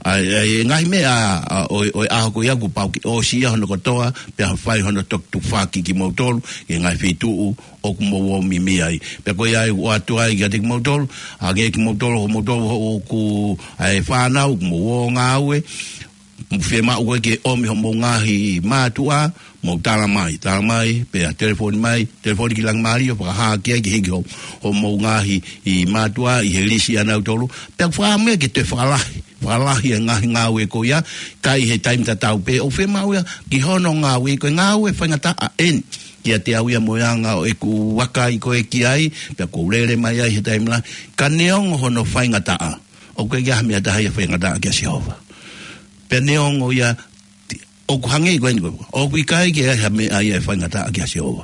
ʻai, ʻai, e ngaahi meʻa, ʻa, ʻo, ʻo e ʻaho ko ia kuo pau ke ʻosi ia hono kotoa, pea fai hono toki tufaki kimoutolu, ki he ngaahi feituʻu, ʻoku mou ō mimi ai. Pea ko ia ai ʻoatu ai kiate kimoutolu, hangē kimoutolu, hoʻomoutolu, hoʻo ʻoku, ʻai fānau, ʻoku mou ō ngāue, mou fiemaʻu koe ke ʻomi hoʻomou ngaahi mātuʻa, mou tala mai, tala mai, pea telefoni mai, telefoni ki Langimalie, ʻo fakahā ki ai ke hiki hoʻo, hoʻomou ngaahi ʻi mātuʻa, ʻi he lisi ʻanautolu, pea fakaʻamu ia ke toe fakalahi, fakalahi e ngaahi ngāue ko ia, ka ʻi he taimi tatau pē, ʻoku fiemaʻu ia, ki hono ngāue, ko e ngāue faingataʻa eni, kiate au ia mo e anga ʻo ʻeku vakai ko ē ki ai, pea ʻoku ou lele mai ai he taimi lahi, ka neongo hono faingataʻa, ʻoku ʻikai ha meʻa ʻe taha ia faingataʻa kia Sihova. Pea neongo ia, ʻoku hangē ko eni ko ē, ʻoku ʻikai ke ʻi ai ha meʻa ia ʻe faingataʻa kia Sihova.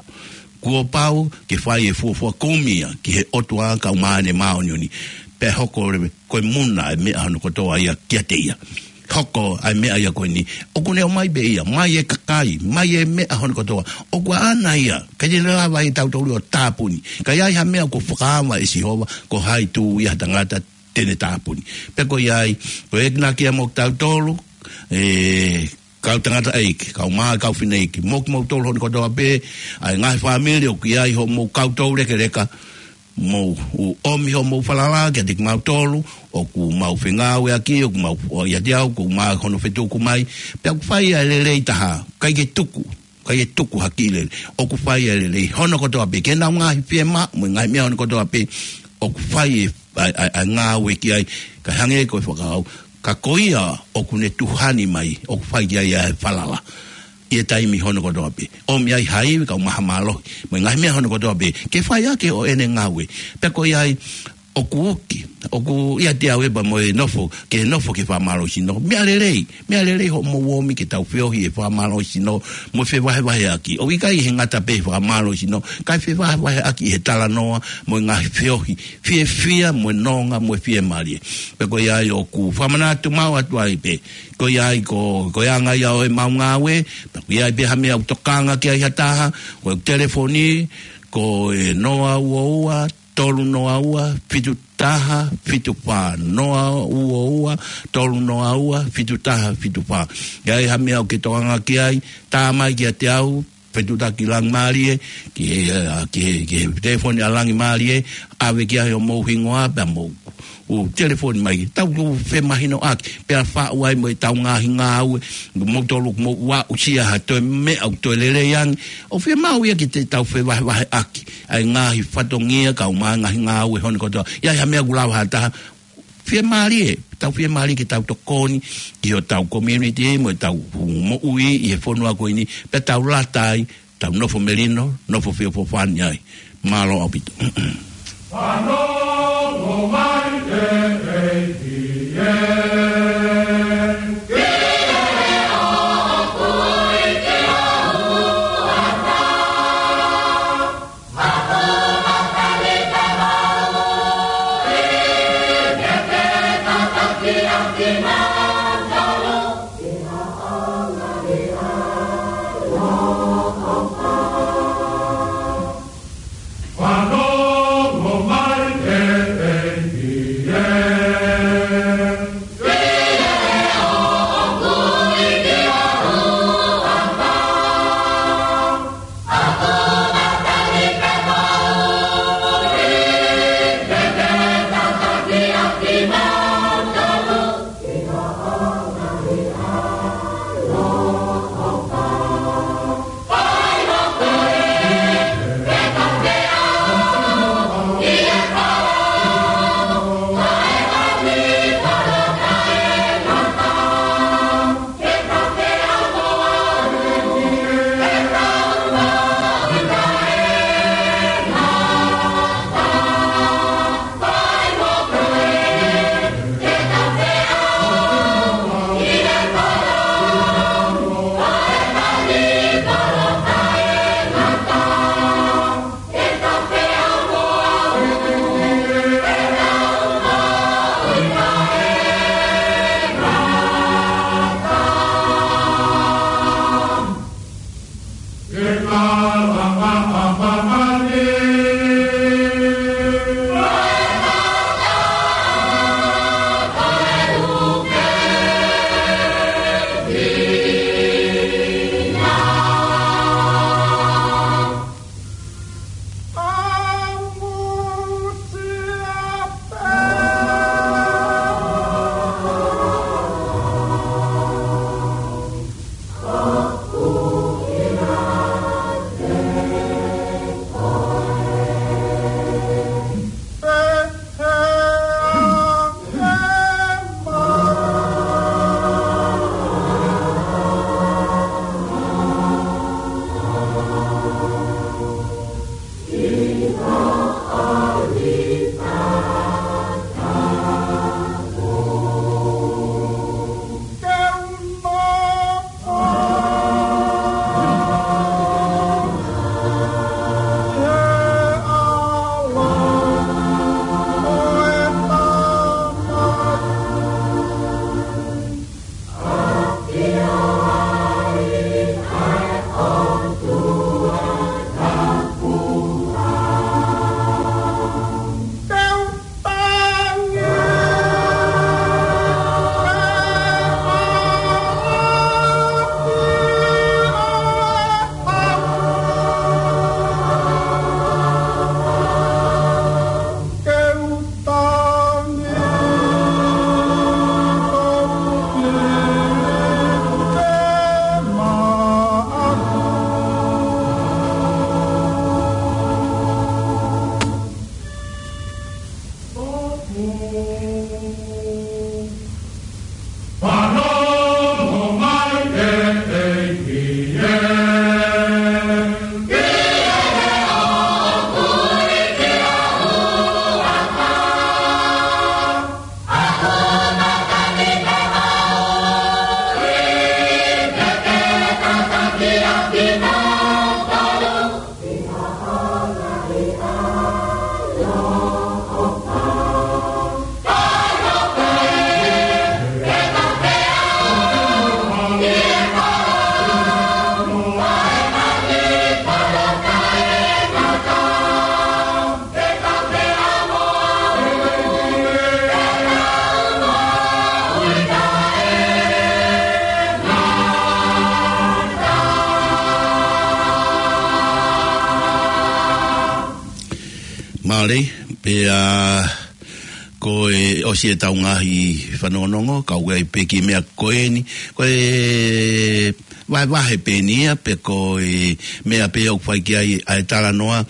Kuo pau ke fai e fuofua kumi ia ki he ʻOtua kae ʻumaʻā ʻene māʻoniʻoni. Pea hoko leva ko e muna e meʻa hono kotoa ia kiate ia. Hoko ʻa e meʻa ia ko eni. ʻOku ne ʻomai pē ia, mai e kakai, mai e meʻa hono kotoa. ʻOku ʻaʻana ia, ʻikai te ne lava ʻe tautolu ʻo tāpuni. Ka ʻi ai ha meʻa kuo fakaava ʻe Sihova, ko hai tū ia ha tangata te ne tāpuni. Pea ko ia ai, ko e ʻenau kia mo tautolu, e, kau tangataʻeiki, kau mā, kau fineʻeiki, mo kimoutolu hono kotoa pē, ʻa e ngaahi fāmili ʻoku ʻi ai hoʻomou kau toulekeleka, mou ʻomi hoʻomou falala kiate kimautolu, ʻoku mau fengāueʻaki, ʻoku mau ʻoatu ʻiate au, ʻoku mau hono fetuku mai, pea ʻoku fai ʻa e lelei taha, ʻikai ke tuku, ʻikai ke tuku ha kiʻi lelei. ʻOku fai ʻa e lelei hono kotoa pē, ki heʻenau ngaahi fiemaʻu, mo e ngaahi meʻa hono kotoa pē, ʻoku fai e, ʻa e, ʻa e, ʻa e ngāue ki ai, kae hangē ko e fakaʻau, ka ko ia ʻoku ne tuhani mai, ʻoku fai ki ai ʻa e falala. ʻI he taimi hono kotoa pē. ʻOmi ai ha ivi kae ʻumaʻā ha mālohi, mo e ngaahi meʻa hono kotoa pē, ke fai ʻaki ʻo ʻene ngāue. Pea ko ia ai, ʻoku ʻoki, ʻoku ʻiate au ʻe pā mo e nofo, ke nofo ki he fakamālohisino. Meʻa lelei, meʻa lelei hoʻomou ōmi ke tau feohi he fakamālohisino, mo e fevahevaheʻaki. ʻOku ʻikai he ngata pē he fakamālohisino, kae fevahevaheʻaki he talanoa, mo e ngaahi feohi, fiefia, mo e nonga, mo e fiemālie. Pea ko ia ai ʻoku fakamanatu maʻu atu ai pē. Ko ia ai ko, ko e anga ia ʻo ʻemau ngāue, pea ko ia ai pē ha meʻa ʻoku tokanga ki ai ha taha, ko e telefoni, ko e noa ua ua, tolu noa ua, fitu taha, fitu fā, noa ua ua, tolu noa ua, fitu taha, fitu fā. ʻI ai ha meʻa ʻoku ke tokanga ki ai, tā mai kiate au, fetuʻutaki Langimalie, ki he, ʻa, ki he, ki he telefoni ʻa Langimalie, ʻave ki ai hoʻomou hingoa, pea mou ʻo telefoni mai, tau ʻo femahinoʻaki, pea faʻu ai mo ʻetau ngaahi ngāue, moutolu ʻoku mou aʻusia ha toe meʻa ʻoku toe lelei ange, ʻoku fiemaʻu ia ke te tau fevahevaheʻaki, ʻa e ngaahi fatongia kae ʻumaʻā e ngaahi ngāue hono kotoa. ʻI ai ha meʻa ʻoku lava ha taha, fiemālie, tau fiemālie ke tau tokoni ki hotau community mo ʻetau moʻui ʻi he fonua ko eni, pea tau lata ai, tau nofo melino, nofo feʻofoʻofani ai. Mālō ʻaupito. Fanongo mai e ʻEiki ē. Mālō, pea ko e ʻosi ʻetau ngaahi fanongonongo, kau ai pē ki he meʻa ko eni, ko e vahevahe pē eni ia, pe ko e meʻa pē ʻoku fai ki ai ʻa e talanoa.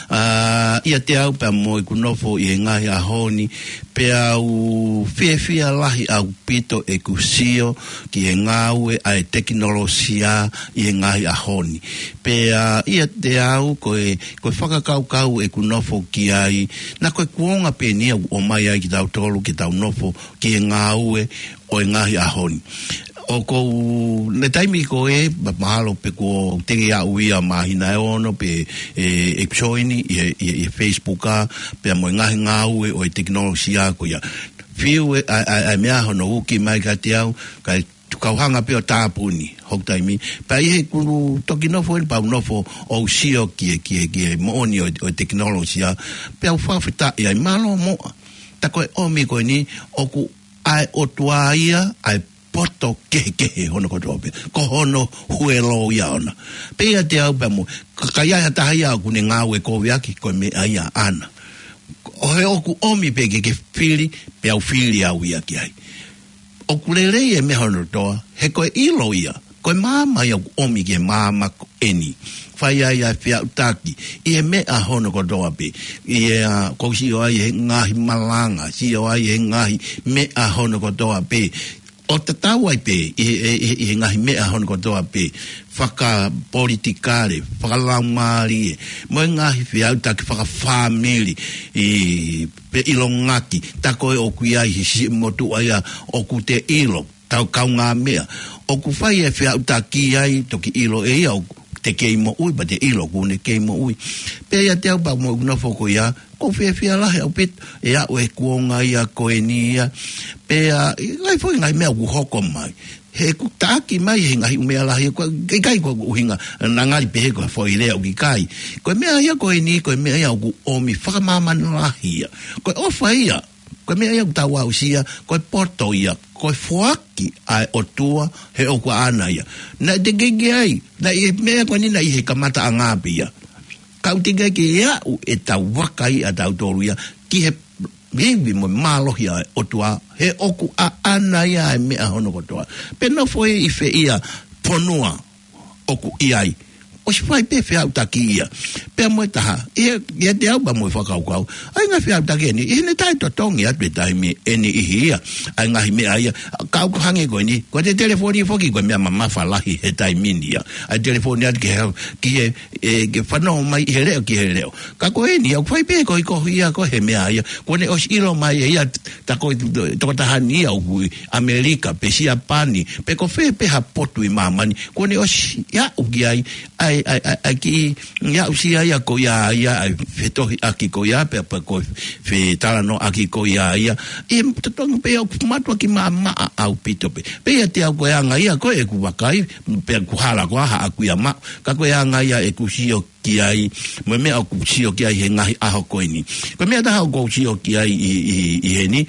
ʻA, ʻiate au pea mo ʻeku nofo ʻi he ngaahi ʻaho ni, pea u fiefia lahi ʻaupito ʻeku sio ki he ngāue ʻa e tekinolosia ʻi he ngaahi ʻaho ni. Pea ʻiate au ko e, ko e fakakaukau ʻeku nofo ki ai, naʻa ko e kuonga pē eni ia ʻoku ʻomai ai kitautolu ke tau nofo ki he ngāue ʻo e ngaahi ʻaho ni. ʻOku ou, ʻi he taimi ko ē, ma-, mahalo pē kuo teʻeki aʻu ia māhina ʻe ono pē ʻeku join ʻi he, ʻi he, ʻi he Facebook ʻa, pea mo e ngaahi ngāue ʻo e tekinolosia ko ia. Fiu e, ʻa, ʻa, ʻa e meʻa hono uki mai kiate au, kae kau hanga pē ʻo tāpuni hoku taimi. Pea ʻi heʻeku toki nofo eni pea u nofo ʻo sio ki he, ki he, ki he moʻoni ʻo, ʻo e tekinolosia, pea u fakafetaʻi ai, mālō muʻa. Tā ko e ʻomi ko eni, ʻoku ʻa e ʻOtua ia, ʻa e poto kehekehe hono kotoa pē. Ko hono huelo ia ʻona. Pea ʻiate au pea mo, ka, ka ʻi ai ha taha ia ʻoku ne ngāue koviʻaki, ko e meʻa ia ʻana. ʻO he ʻoku ʻomi pē ke ke fili, pea u fili au ia ki ai. ʻOku lelei e meʻa hono kotoa, he ko e ʻilo ia, ko e maama ia ʻoku ʻomi ki he maama ko eni. Fai ai ʻa e feʻautaki, ʻi he meʻa hono kotoa pē. ʻI he, ʻa, ʻoku ou sio ai he ngaahi malanga, sio ai he ngaahi meʻa hono kotoa pē. ʻO tatau ai pē, ʻi he, ʻi he, ʻi he ngaahi meʻa hono kotoa pē. Fakapolitikale, fakalaumālie, mo e ngaahi feʻautaki fakafāmili, ʻi, pe ʻilongaki, tā ko ē ʻoku ʻi ai he siʻi motuʻa ia ʻoku te ʻilo, tau kaungāmeʻa. ʻOku fai e feʻautaki ai, toki ʻilo ʻe ia ʻoku te kei moʻui, pea te ʻilo ʻoku ne kei moʻui. Pea ʻiate au pea mo ʻeku nofo ko ia, ʻoku ou fiefia lahi ʻaupito, ʻe aʻu e kuonga ia ko eni ia. Pea, ʻi ai foʻi ngaahi meʻa ʻoku hoko mai. He ʻoku taʻaki mai he ngaahi ʻū meʻa lahi, ko, ʻikai ko e ʻuhinga, naʻa ngali pehē ko e foʻi lea ʻoku ʻikai. Ko e meʻa ia ko eni, ko e meʻa ia ʻoku ʻomi fakamāmani lahi ia. Ko e ʻofa ia, ko e meʻa ia ʻoku tau aʻusia, ko e poto ia, ko e foaki ʻa e ʻOtua, he ʻoku ʻaʻana ia. Naʻe teʻeki ai, naʻe ʻi he meʻa ko eni naʻe ʻi he kamataʻanga pē ia. Ka ʻoku teʻeki ai ke aʻu ʻetau vakai ʻatautolu ia, ki he ivi mo e mālohi ʻa e ʻOtua, he ʻoku ʻaʻana ia e meʻa hono kotoa. Pe nofo ʻi fē ia fonua ʻoku ʻi ai, ʻosi fai pē feʻautaki ia. Pea mo e taha, ʻi he, ʻiate au pea mo e fakakaukau, ʻa e ngaahi feʻautaki eni, ʻi heʻene taʻetotongi atu e taimi eni ʻi he ia, ʻa e ngaahi meʻa ia, ka ʻoku hangē ko eni, ko e telefoni foki ko e meʻa mamafa lahi he taimi ni ia. ʻA e telefoni atu ki he, ki he, ʻe, ke fanongo mai ʻi he leʻo ki he leʻo. Ka ko eni, ʻoku fai pē ko e kohi ia, ko e he meʻa ia. Kuo ne ʻosi ʻilo mai ʻe ia, tā ko e tokotaha ni ia ʻoku ʻi ʻAmelika, pe Siapani, pe ko fē pē ha potu ʻi māmani. Kuo ne ʻosi aʻu ki ai, ʻa e, ʻa e, ʻa e, ʻa e kiʻi, ʻi aʻusia ia ko ia, ia, ʻa e fetohiʻaki ko ia, pe, pe ko e fetalanoaʻaki ko ia, ia. ʻI he totongi pē ʻoku mātuʻaki maʻamaʻa ʻaupito pē. Pea ʻiate au ko e anga ia ko ē ʻeku vakai, pea ʻoku hala ko ā haʻaku ia maʻu. Ka ko e anga ia ʻeku sio ki ai, mo e meʻa ʻoku sio ki ai he ngaahi ʻaho ko eni. Ko e meʻa taha ʻoku ou sio ki ai ʻi, ʻi, ʻi heni,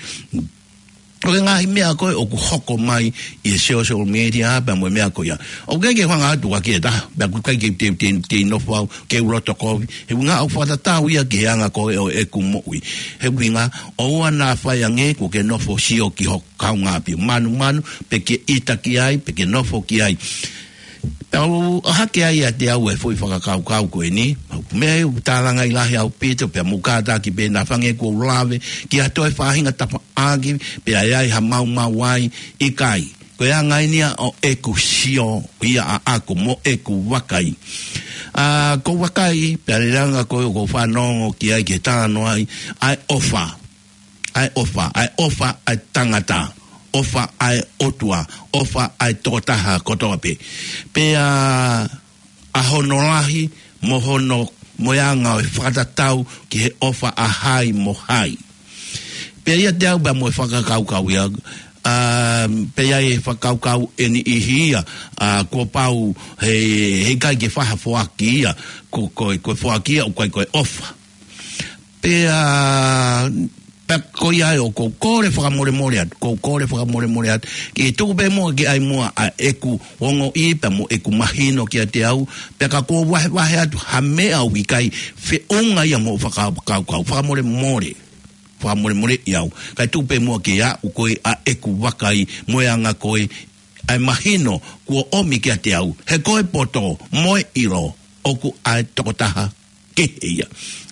ko e ngaahi meʻa ko ē ʻoku hoko mai ʻi he social media, pea mo e meʻa ko ia. ʻOku ʻikai ke u hanga atu ʻa ki he taha, pea ʻoku ʻikai ke te, te, te nofo au, ke u loto kovi. He ʻuhinga ʻoku fakatatau ia ki he anga ko ē ʻo ʻeku moʻui. He ʻuhinga, ʻoua naʻa fai ange kuo ke nofo sio ki ho kaungāʻapi. Manumanu, pe ke ʻita ki ai, pe ke nofo ki ai. Pea u ʻohake ai ʻiate au e foʻi fakakaukau ko eni, meʻa ʻoku tālangaʻi lahi ʻaupito, pea mou kātaki pē naʻa fanga ʻeku lave ki ha toe faʻahinga tafaʻaki, pea ʻi ai ha maumau ai, ʻikai. Ko e anga eni ia ʻo ʻeku sio ia ʻaʻaku mo ʻeku vakai. ʻA, ko e vakai, pea lelanga ko e ʻoku ou fanongo ki ai ke talanoa ai, ʻa e ʻofa. ʻA e ʻofa, ʻa e ʻofa ʻa e tangata, ʻofa ʻa e ʻOtua, ʻofa ʻa e tokotaha kotoa pē. Pea ʻa hono lahi, mo hono, mo e anga ʻo e fakatatau ki he ʻofa ʻa hai mo hai. Pea ʻiate au pea mo e fakakaukau ia, ʻa, pea ʻi ai e fakakaukau ʻe niʻihi ia, ʻa, kuo pau he, heʻikai ke fai ha foaki ia, ko, ko, ko e foaki ia, ʻoku ʻikai ko e ʻofa. Pea, pea ko ia ai ʻoku ou kole fakamolemole atu, ʻoku ou kole fakamolemole atu. Ke tuku pē muʻa ke ʻai muʻa ʻa ʻeku ongoʻi pea mo ʻeku mahino kiate au, pea ka kuo vahevahe atu ha meʻa ʻoku ʻikai feʻunga ia mo e fakakaukau, fakamolemole, fakamolemoleʻi au. Kae tuku pē muʻa ke aʻu ko ē ʻa ʻeku vakai mo e anga ko ē ʻa e mahino kuo ʻomi kiate au, he ko e poto mo e ʻilo ʻoku ʻa e tokotaha kehe ia.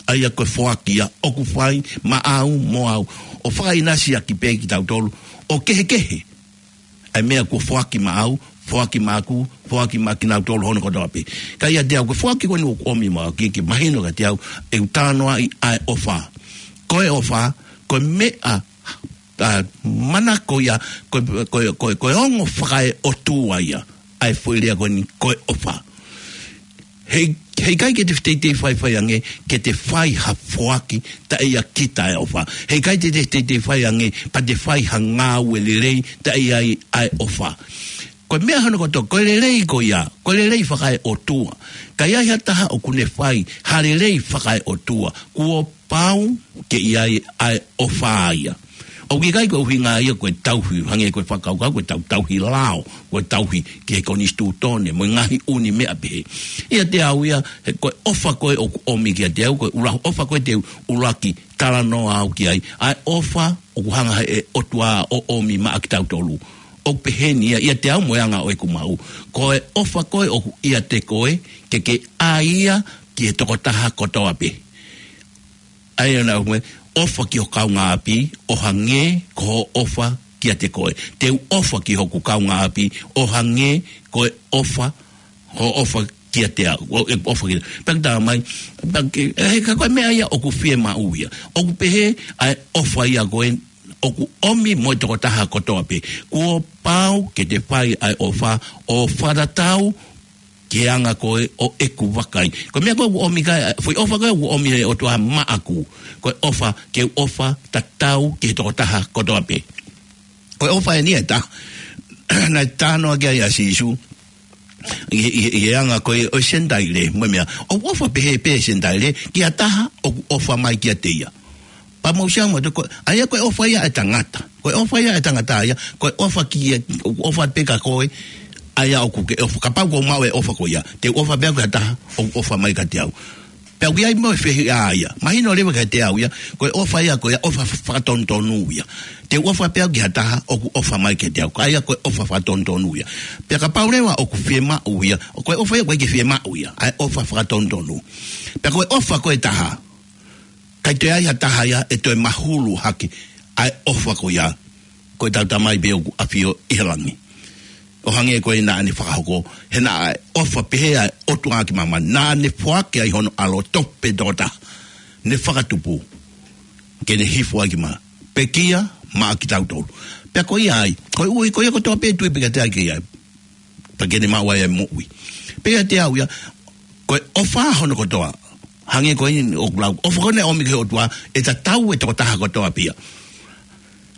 ʻA ia ko e foaki ia ʻoku fai maʻau mo au. ʻO fakaʻinasi ʻaki pē kitautolu ʻo kehekehe ʻa e meʻa kuo foaki maʻau, foaki maʻaku, foaki maʻa kinautolu hono kotoa pē. Ka ʻiate au ko e foaki ko eni ʻoku ʻomi maʻau ke, ke mahino kiate au, ʻeku talanoaʻi ʻa e ʻofa. Ko e ʻofa, ko e meʻa ʻa, manako ia, ko, ko, ko, ko e ongo fakaeʻotua ia, ʻa e foʻi lea ko eni, ko e ʻofa. He, heʻikai ke te teitei faifai ange, ke te fai ha foaki, taʻe ʻiate kita e ʻofa. Heʻikai te, te teitei fai ange, pea te fai ha ngāue lelei, taʻe ʻi ai ʻa e ʻofa. Ko e meʻa hono kotoa, ko e lelei ko ia, ko e lelei fakaeʻotua. Ka ʻi ai ha taha ʻoku ne fai ha lelei fakaeʻotua, kuo pau ke ʻi ai ʻa e ʻofa ia. ʻOku ʻikai ko e ʻuhinga ia ko e tauhi, hangē ko e fakakaukau, ko e tau, tauhi lao, ko e tauhi ki he konisitūtone, mo e ngaahi ʻū meʻa pehē. ʻIate au ia, he ko e ʻofa ko ē ʻoku ʻomi kiate au, ko e ʻuluaki ʻofa ko ē te u ʻuluaki talanoa au ki ai. ʻA e ʻofa ʻoku hanga he ʻOtua ʻo ʻomi maʻa kitautolu. ʻOku pehē ni ia, ʻiate au mo e anga ʻo ʻeku maʻu. Ko e ʻofa ko ē ʻoku ʻiate koe, ke ke ʻai ia ki he tokotaha kotoa pē. ʻA ia naʻa mo e ʻofa ki ho kaungāʻapi, ʻo hangē ko hoʻo ʻofa kiate koe. Te u ʻofa ki hoku kaungāʻapi, ʻo hangē ko e ʻofa, hoʻo ʻofa kiate au, ʻo e ʻofa kiate. Pea ke tā mai, pea ke, ʻe, he ka ko e meʻa ia ʻoku fiemaʻu ia. ʻOku pehē ʻa e ʻofa ia ko ē, ʻoku ʻomi mo e tokotaha kotoa pē. Kuo pau ke te fai ʻa e ʻofa, ʻo fakatatau ki he anga ko ē ʻo ʻeku vakai. Ko e meʻa ko ē ʻoku ʻomi ki ai, foʻi ʻofa ko ē ʻoku ʻomi he ʻOtua maʻaku. Ko e ʻofa, ke u ʻofa tatau ki he tokotaha kotoa pē. Ko e ʻofa eni ʻe taha. Naʻe talanoa ki ai ʻa Sīsū. ʻI, ʻi, ʻi he anga ko ē ʻo e Senitaile, mo e meʻa. ʻOku ʻofa pehē pē Senitaile, ki ha taha ʻoku ʻofa mai kiate ia. Pea mou sio mo te ko, ʻa ia ko e ʻofa ia ʻa e tangata. Ko e ʻofa ia ʻa e tangata ia, ko e ʻofa ki, ʻoku ʻofa pē kia koe, ʻa ia ʻoku ke ʻofa. Kapau ʻoku ou maʻu e ʻofa ko ia, te u ʻofa pē au ki ha taha ʻoku ʻofa mai kiate au. Pea ʻoku ʻi ai mo e fehiʻa ia. Mahino leva kiate au ia, ko e ʻofa ia, ko e ʻofa fakatonutonu ia. Te u ʻofa pē au ki ha taha ʻoku ʻofa mai kiate au. Ka ʻa ia ko e ʻofa fakatonutonu ia. Pea kapau leva ʻoku fiemaʻu ia, ko e ʻofa ia ʻoku ʻikai ke fiemaʻu ia, ʻa e ʻofa fakatonutonu. Pea ko e ʻofa ko ē ʻe taha, ʻikai toe ʻi ai ha taha ia ʻe toe mahulu hake ʻa e ʻofa ko ia, ko ʻetau Tamai pē ʻoku ʻafio ʻi he langi. ʻO hangē ko ē naʻa ne fakahoko, he naʻe ʻofa pehē ʻa e ʻOtua ki māmani, naʻa ne foaki ai hono ʻAlo tofu pē toko taha, ne fakatupu, ke ne hifo ai ki māmani, pekia maʻa kitautolu. Pea ko ia ai, ko e ui, ko ia kotoa pē tui pē kiate ia ke ia, pea ke ne maʻu ai e moʻui. Pea ʻiate au ia, ko e ʻofa hono kotoa. Hangē ko eni ʻoku lau, ʻofa ko ē naʻe ʻomi ki he ʻOtua, ʻe tatau e tokotaha kotoa pē ia.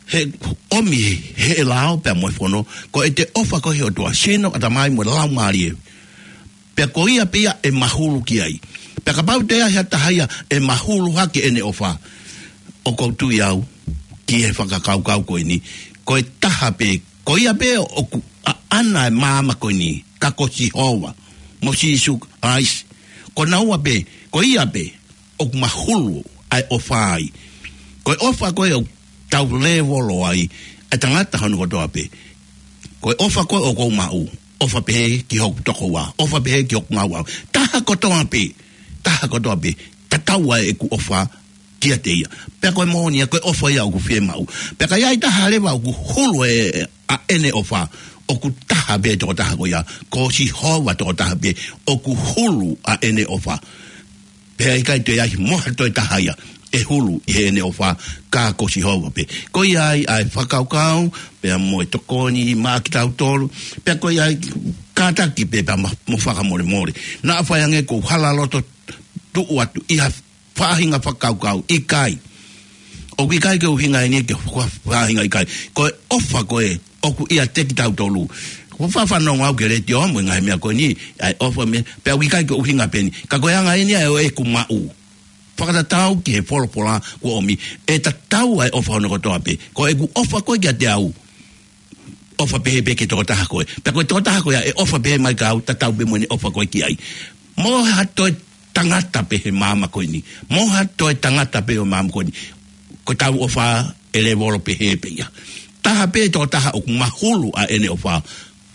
He ʻomi he, he lao pea mo e fono, ko ʻete ʻofa ko ē he ʻOtua, sino, ʻatamai mo e laumālie. Pea ko ia pē ia ʻe mahulu ki ai. Pea kapau ʻe ʻi ai ha taha ia ʻe mahulu hake ʻene ʻofa, ʻoku ou tui au ki he fakakaukau ko eni, ko e taha pē, ko ia pē ʻoku ʻaʻana e maama ko eni, ka ko Sihova mo Sīsū Kalaisi. Ko naua pē, ko ia pē ʻoku mahulu ʻa e ʻofa ai. Ko e ʻofa ko ē ʻoku tau lēvolo ai ʻa e tangata hono kotoa pē. Ko e ʻofa ko ē ʻoku ou maʻu, ʻofa pehē ki hoku tokoua, ʻofa pehē ki hoku ngāue. Taha kotoa pē, taha kotoa pē, tatau ai ʻeku ʻofa kiate ia. Pea ko e moʻoni ia, ko e ʻofa ia ʻoku fiemaʻu. Pea ka ʻi ai taha leva ʻoku hulu ʻa ʻene ʻofa, ʻoku taha pē tokotaha ko ia, ko Sihova tokotaha pē ʻoku hulu ʻa ʻene ʻofa. Pea ʻikai toe ʻi ai mo ha toe taha ia ʻe hulu ʻi heʻene ʻofa, ka ko Sihova pē. Ko ia ai ʻa e fakakaukau, pea mo e tokoni maʻa kitautolu, pea ko ia ai kātaki pē pea ma-, mo fakamolemole. Naʻa faʻa ʻi ai ange ʻeku hala loto tuʻu atu ʻi ha faʻahinga fakakaukau, ʻikai. ʻOku ʻikai ke ʻuhinga eni ke fa-, faʻahinga ʻikai. Ko e ʻofa ko ē ʻoku ʻiate kitautolu. Ko e faʻa fanongo au ki he letiō mo e ngaahi meʻa ko eni, ʻa e ʻofa meʻa, pea ʻoku ʻikai ke ʻuhinga pē eni. Ka ko e anga eni ʻa e ʻoku maʻu. Fakatatau ki he folofola kuo ʻomi, ʻe tatau ʻa e ʻofa hono kotoa pē. Ko ʻeku ʻofa ko ē kiate au, ʻofa pehē pē ki he tokotaha ko ē. Pea ko e tokotaha ko ia ʻe ʻofa pehē mai kiate au, tatau pē mo ʻene ʻofa ko ē ki ai. Mo ha toe tangata pē he māmani ko eni. Mo ha toe tangata pē ʻo e māmani ko eni. Ko ʻetau ʻofa ʻe lēvolo pehē pē ia. Taha pē tokotaha ʻoku mahulu ʻa ʻene ʻofa,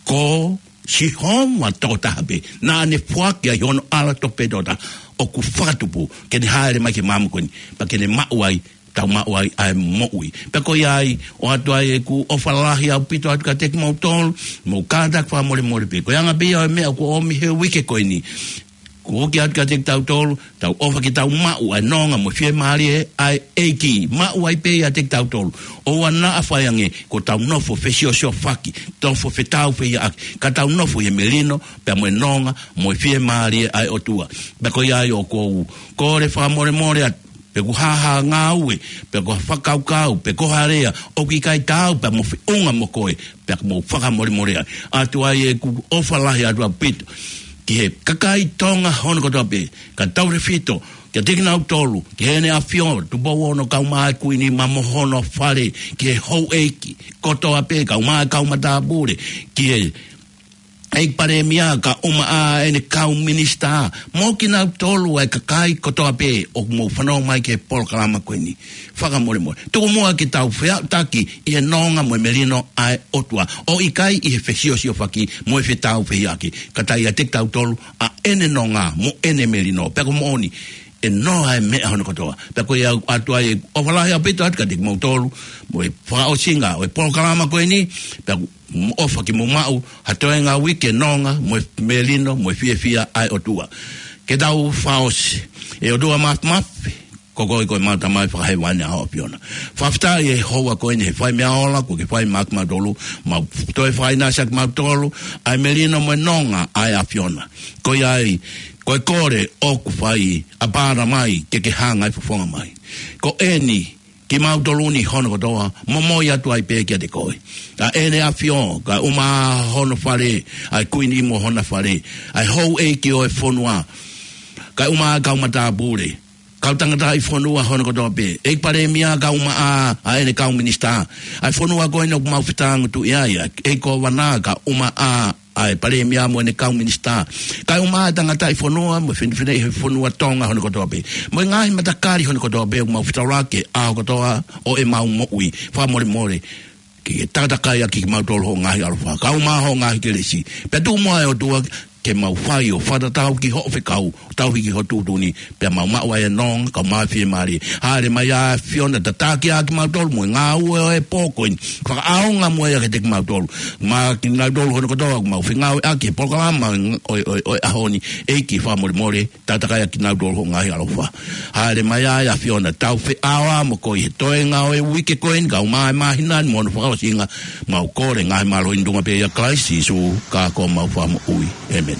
ko Sihova tokotaha pē. Naʻa ne foaki ai hono ʻAlo tofu pē tokotaha ʻoku fakatupu, ke ne hāʻele mai ki he māmani ko eni, pea ke ne maʻu ai, tau maʻu ai ʻa e moʻui. Pea ko ia ai, ʻoatu ai ʻeku ʻofa lahi ʻaupito atu kiate kimoutolu, mo kātaki fakamolemole pē. Ko e anga pē ia ʻo e meʻa kuo ʻomi he uike ko eni. Kuo ʻoatu kiate kitautolu, tau ʻofa ke tau maʻu ʻa e nonga mo e fiemālie ʻa e ʻEiki. Maʻu ai pē ʻiate kitautolu. ʻOua naʻa faʻa ʻi ai ange, kuo tau nofo fesiosiofaki, nofo fetāufehiʻaki, ka tau nofo ʻi he melino, pea mo e nonga, mo e fiemālie ʻa e ʻOtua. Pea ko ia ai ʻoku ou kole fakamolemole atu, pe ko ha ngāue, pe ko ha fakakaukau, pe ko ha lea ʻoku ʻikai taau pea mo feʻunga mo koe, pea mou fakamolemole ai. ʻOatu ai ʻeku ʻofa lahi atu ʻaupito ki he kakai Tonga hono kotoa pē, ka tautefito kiate kinautolu, ki heʻene ʻAfio Tupou Ono, kau mai Kuini Maʻa mo hono fale, ki he houʻeiki kotoa pē, kau mai kau matāpule, ki he ʻEiki Palēmia, kae ʻumaʻā ʻene kau minisitā, mo kinautolu ʻa e kakai kotoa pē ʻoku mou fanongo mai ki he polokalama ko eni. Fakamolemole. Tuku muʻa ke tau feʻautaki ʻi he nonga mo e melino ʻa e ʻOtua. ʻO ʻikai ʻi he fesiosiofaki mo e fetāufehiʻaki. Ka tau ʻiate kitautolu ʻa ʻene nonga mo ʻene melino. Pea ko e moʻoni, ʻe noa ʻa e meʻa hono kotoa. Pea ko ia ʻoatu ai ʻofa lahi ʻaupito atu kiate kimoutolu, mo e fakaʻosinga ʻo e polokalama ko eni, pea mo ʻofa ke mou maʻu ha toenga uike nonga, mo e melino, mo e fiefia ʻa e ʻOtua. Ke tau fakaʻosi. ʻE ʻOtua Māfimafi, ko koe ko ʻemau Tamai Fakahēvani ʻa ho ʻAfiona. Fakafetaʻi he houa ko eni he fai meʻa ola kuo ke fai maʻa kimautolu, mau toe fakaʻinasi ʻa kimautolu ʻa e melino mo e nonga ʻa e ʻAfiona. Ko ia ai, ko e kole ʻoku fai, ʻApalama, ke ke hanga ʻo fofonga mai. Ko eni, kimautolu ni hono kotoa, momoi atu ai pē kiate koe. ʻA ʻene ʻAfio, kae ʻumaʻā hono fale, ʻa e Kuini mo hona fale, ʻa e houʻeiki ʻo e fonua, kae ʻumaʻā kau matāpule, kau tangataʻi fonua hono kotoa pē, ʻEiki Palēmia kae ʻumaʻā ʻa ʻene kau minisitā, ʻa e fonua ko eni ʻoku mau fetāngutuʻi ai, ʻa e ʻEiki Kōvana kae ʻumaʻā ʻa e Palēmia mo ʻene kau minisitā, kae ʻumaʻā tangataʻi fonua mo e finefineʻi he fonua Tonga hono kotoa pē, mo e ngaahi matakali hono kotoa pē ʻoku mau fetaulaki he ʻaho kotoa ʻo ʻemau moʻui. Fakamolemole ke ke takatakai ʻaki kimautolu ho ngaahi ʻaloʻofa, kae ʻumaʻā ho ngaahi kelesi. Pea tuku muʻa ʻe ʻOtua ke mau fai ʻo fakatatau ki hoʻo fekau, tauhi ki ho tuʻutuʻuni, pea mau maʻu ai ʻa e nonga, kae ʻumaʻā e fiemālie. Hāʻele mai ʻa e ʻAfiona, tataki ʻa kimautolu mo e ngāue ʻo e pō ko eni. Fakaʻaonga muʻa ia kiate kimautolu. Maʻa kinautolu hono kotoa ʻoku mau fengāueʻaki he polokalama ʻo e, ʻo e, ʻo e ʻaho ni, ʻEiki fakamolemole, takatakai ʻaki kinautolu ho ngaahi ʻaloʻofa. Hāʻele mai ʻa e ʻAfiona, tau feʻao mo koe he toenga ʻo e uike ko eni, kae ʻumaʻā e māhina ni mo hono fakaʻosinga, mau kole ngaahi mālohi ni ʻi he tuʻunga pē ʻia Kalaisi Sīsū, ka ko homau Fakamoʻui. ʻĒmeni.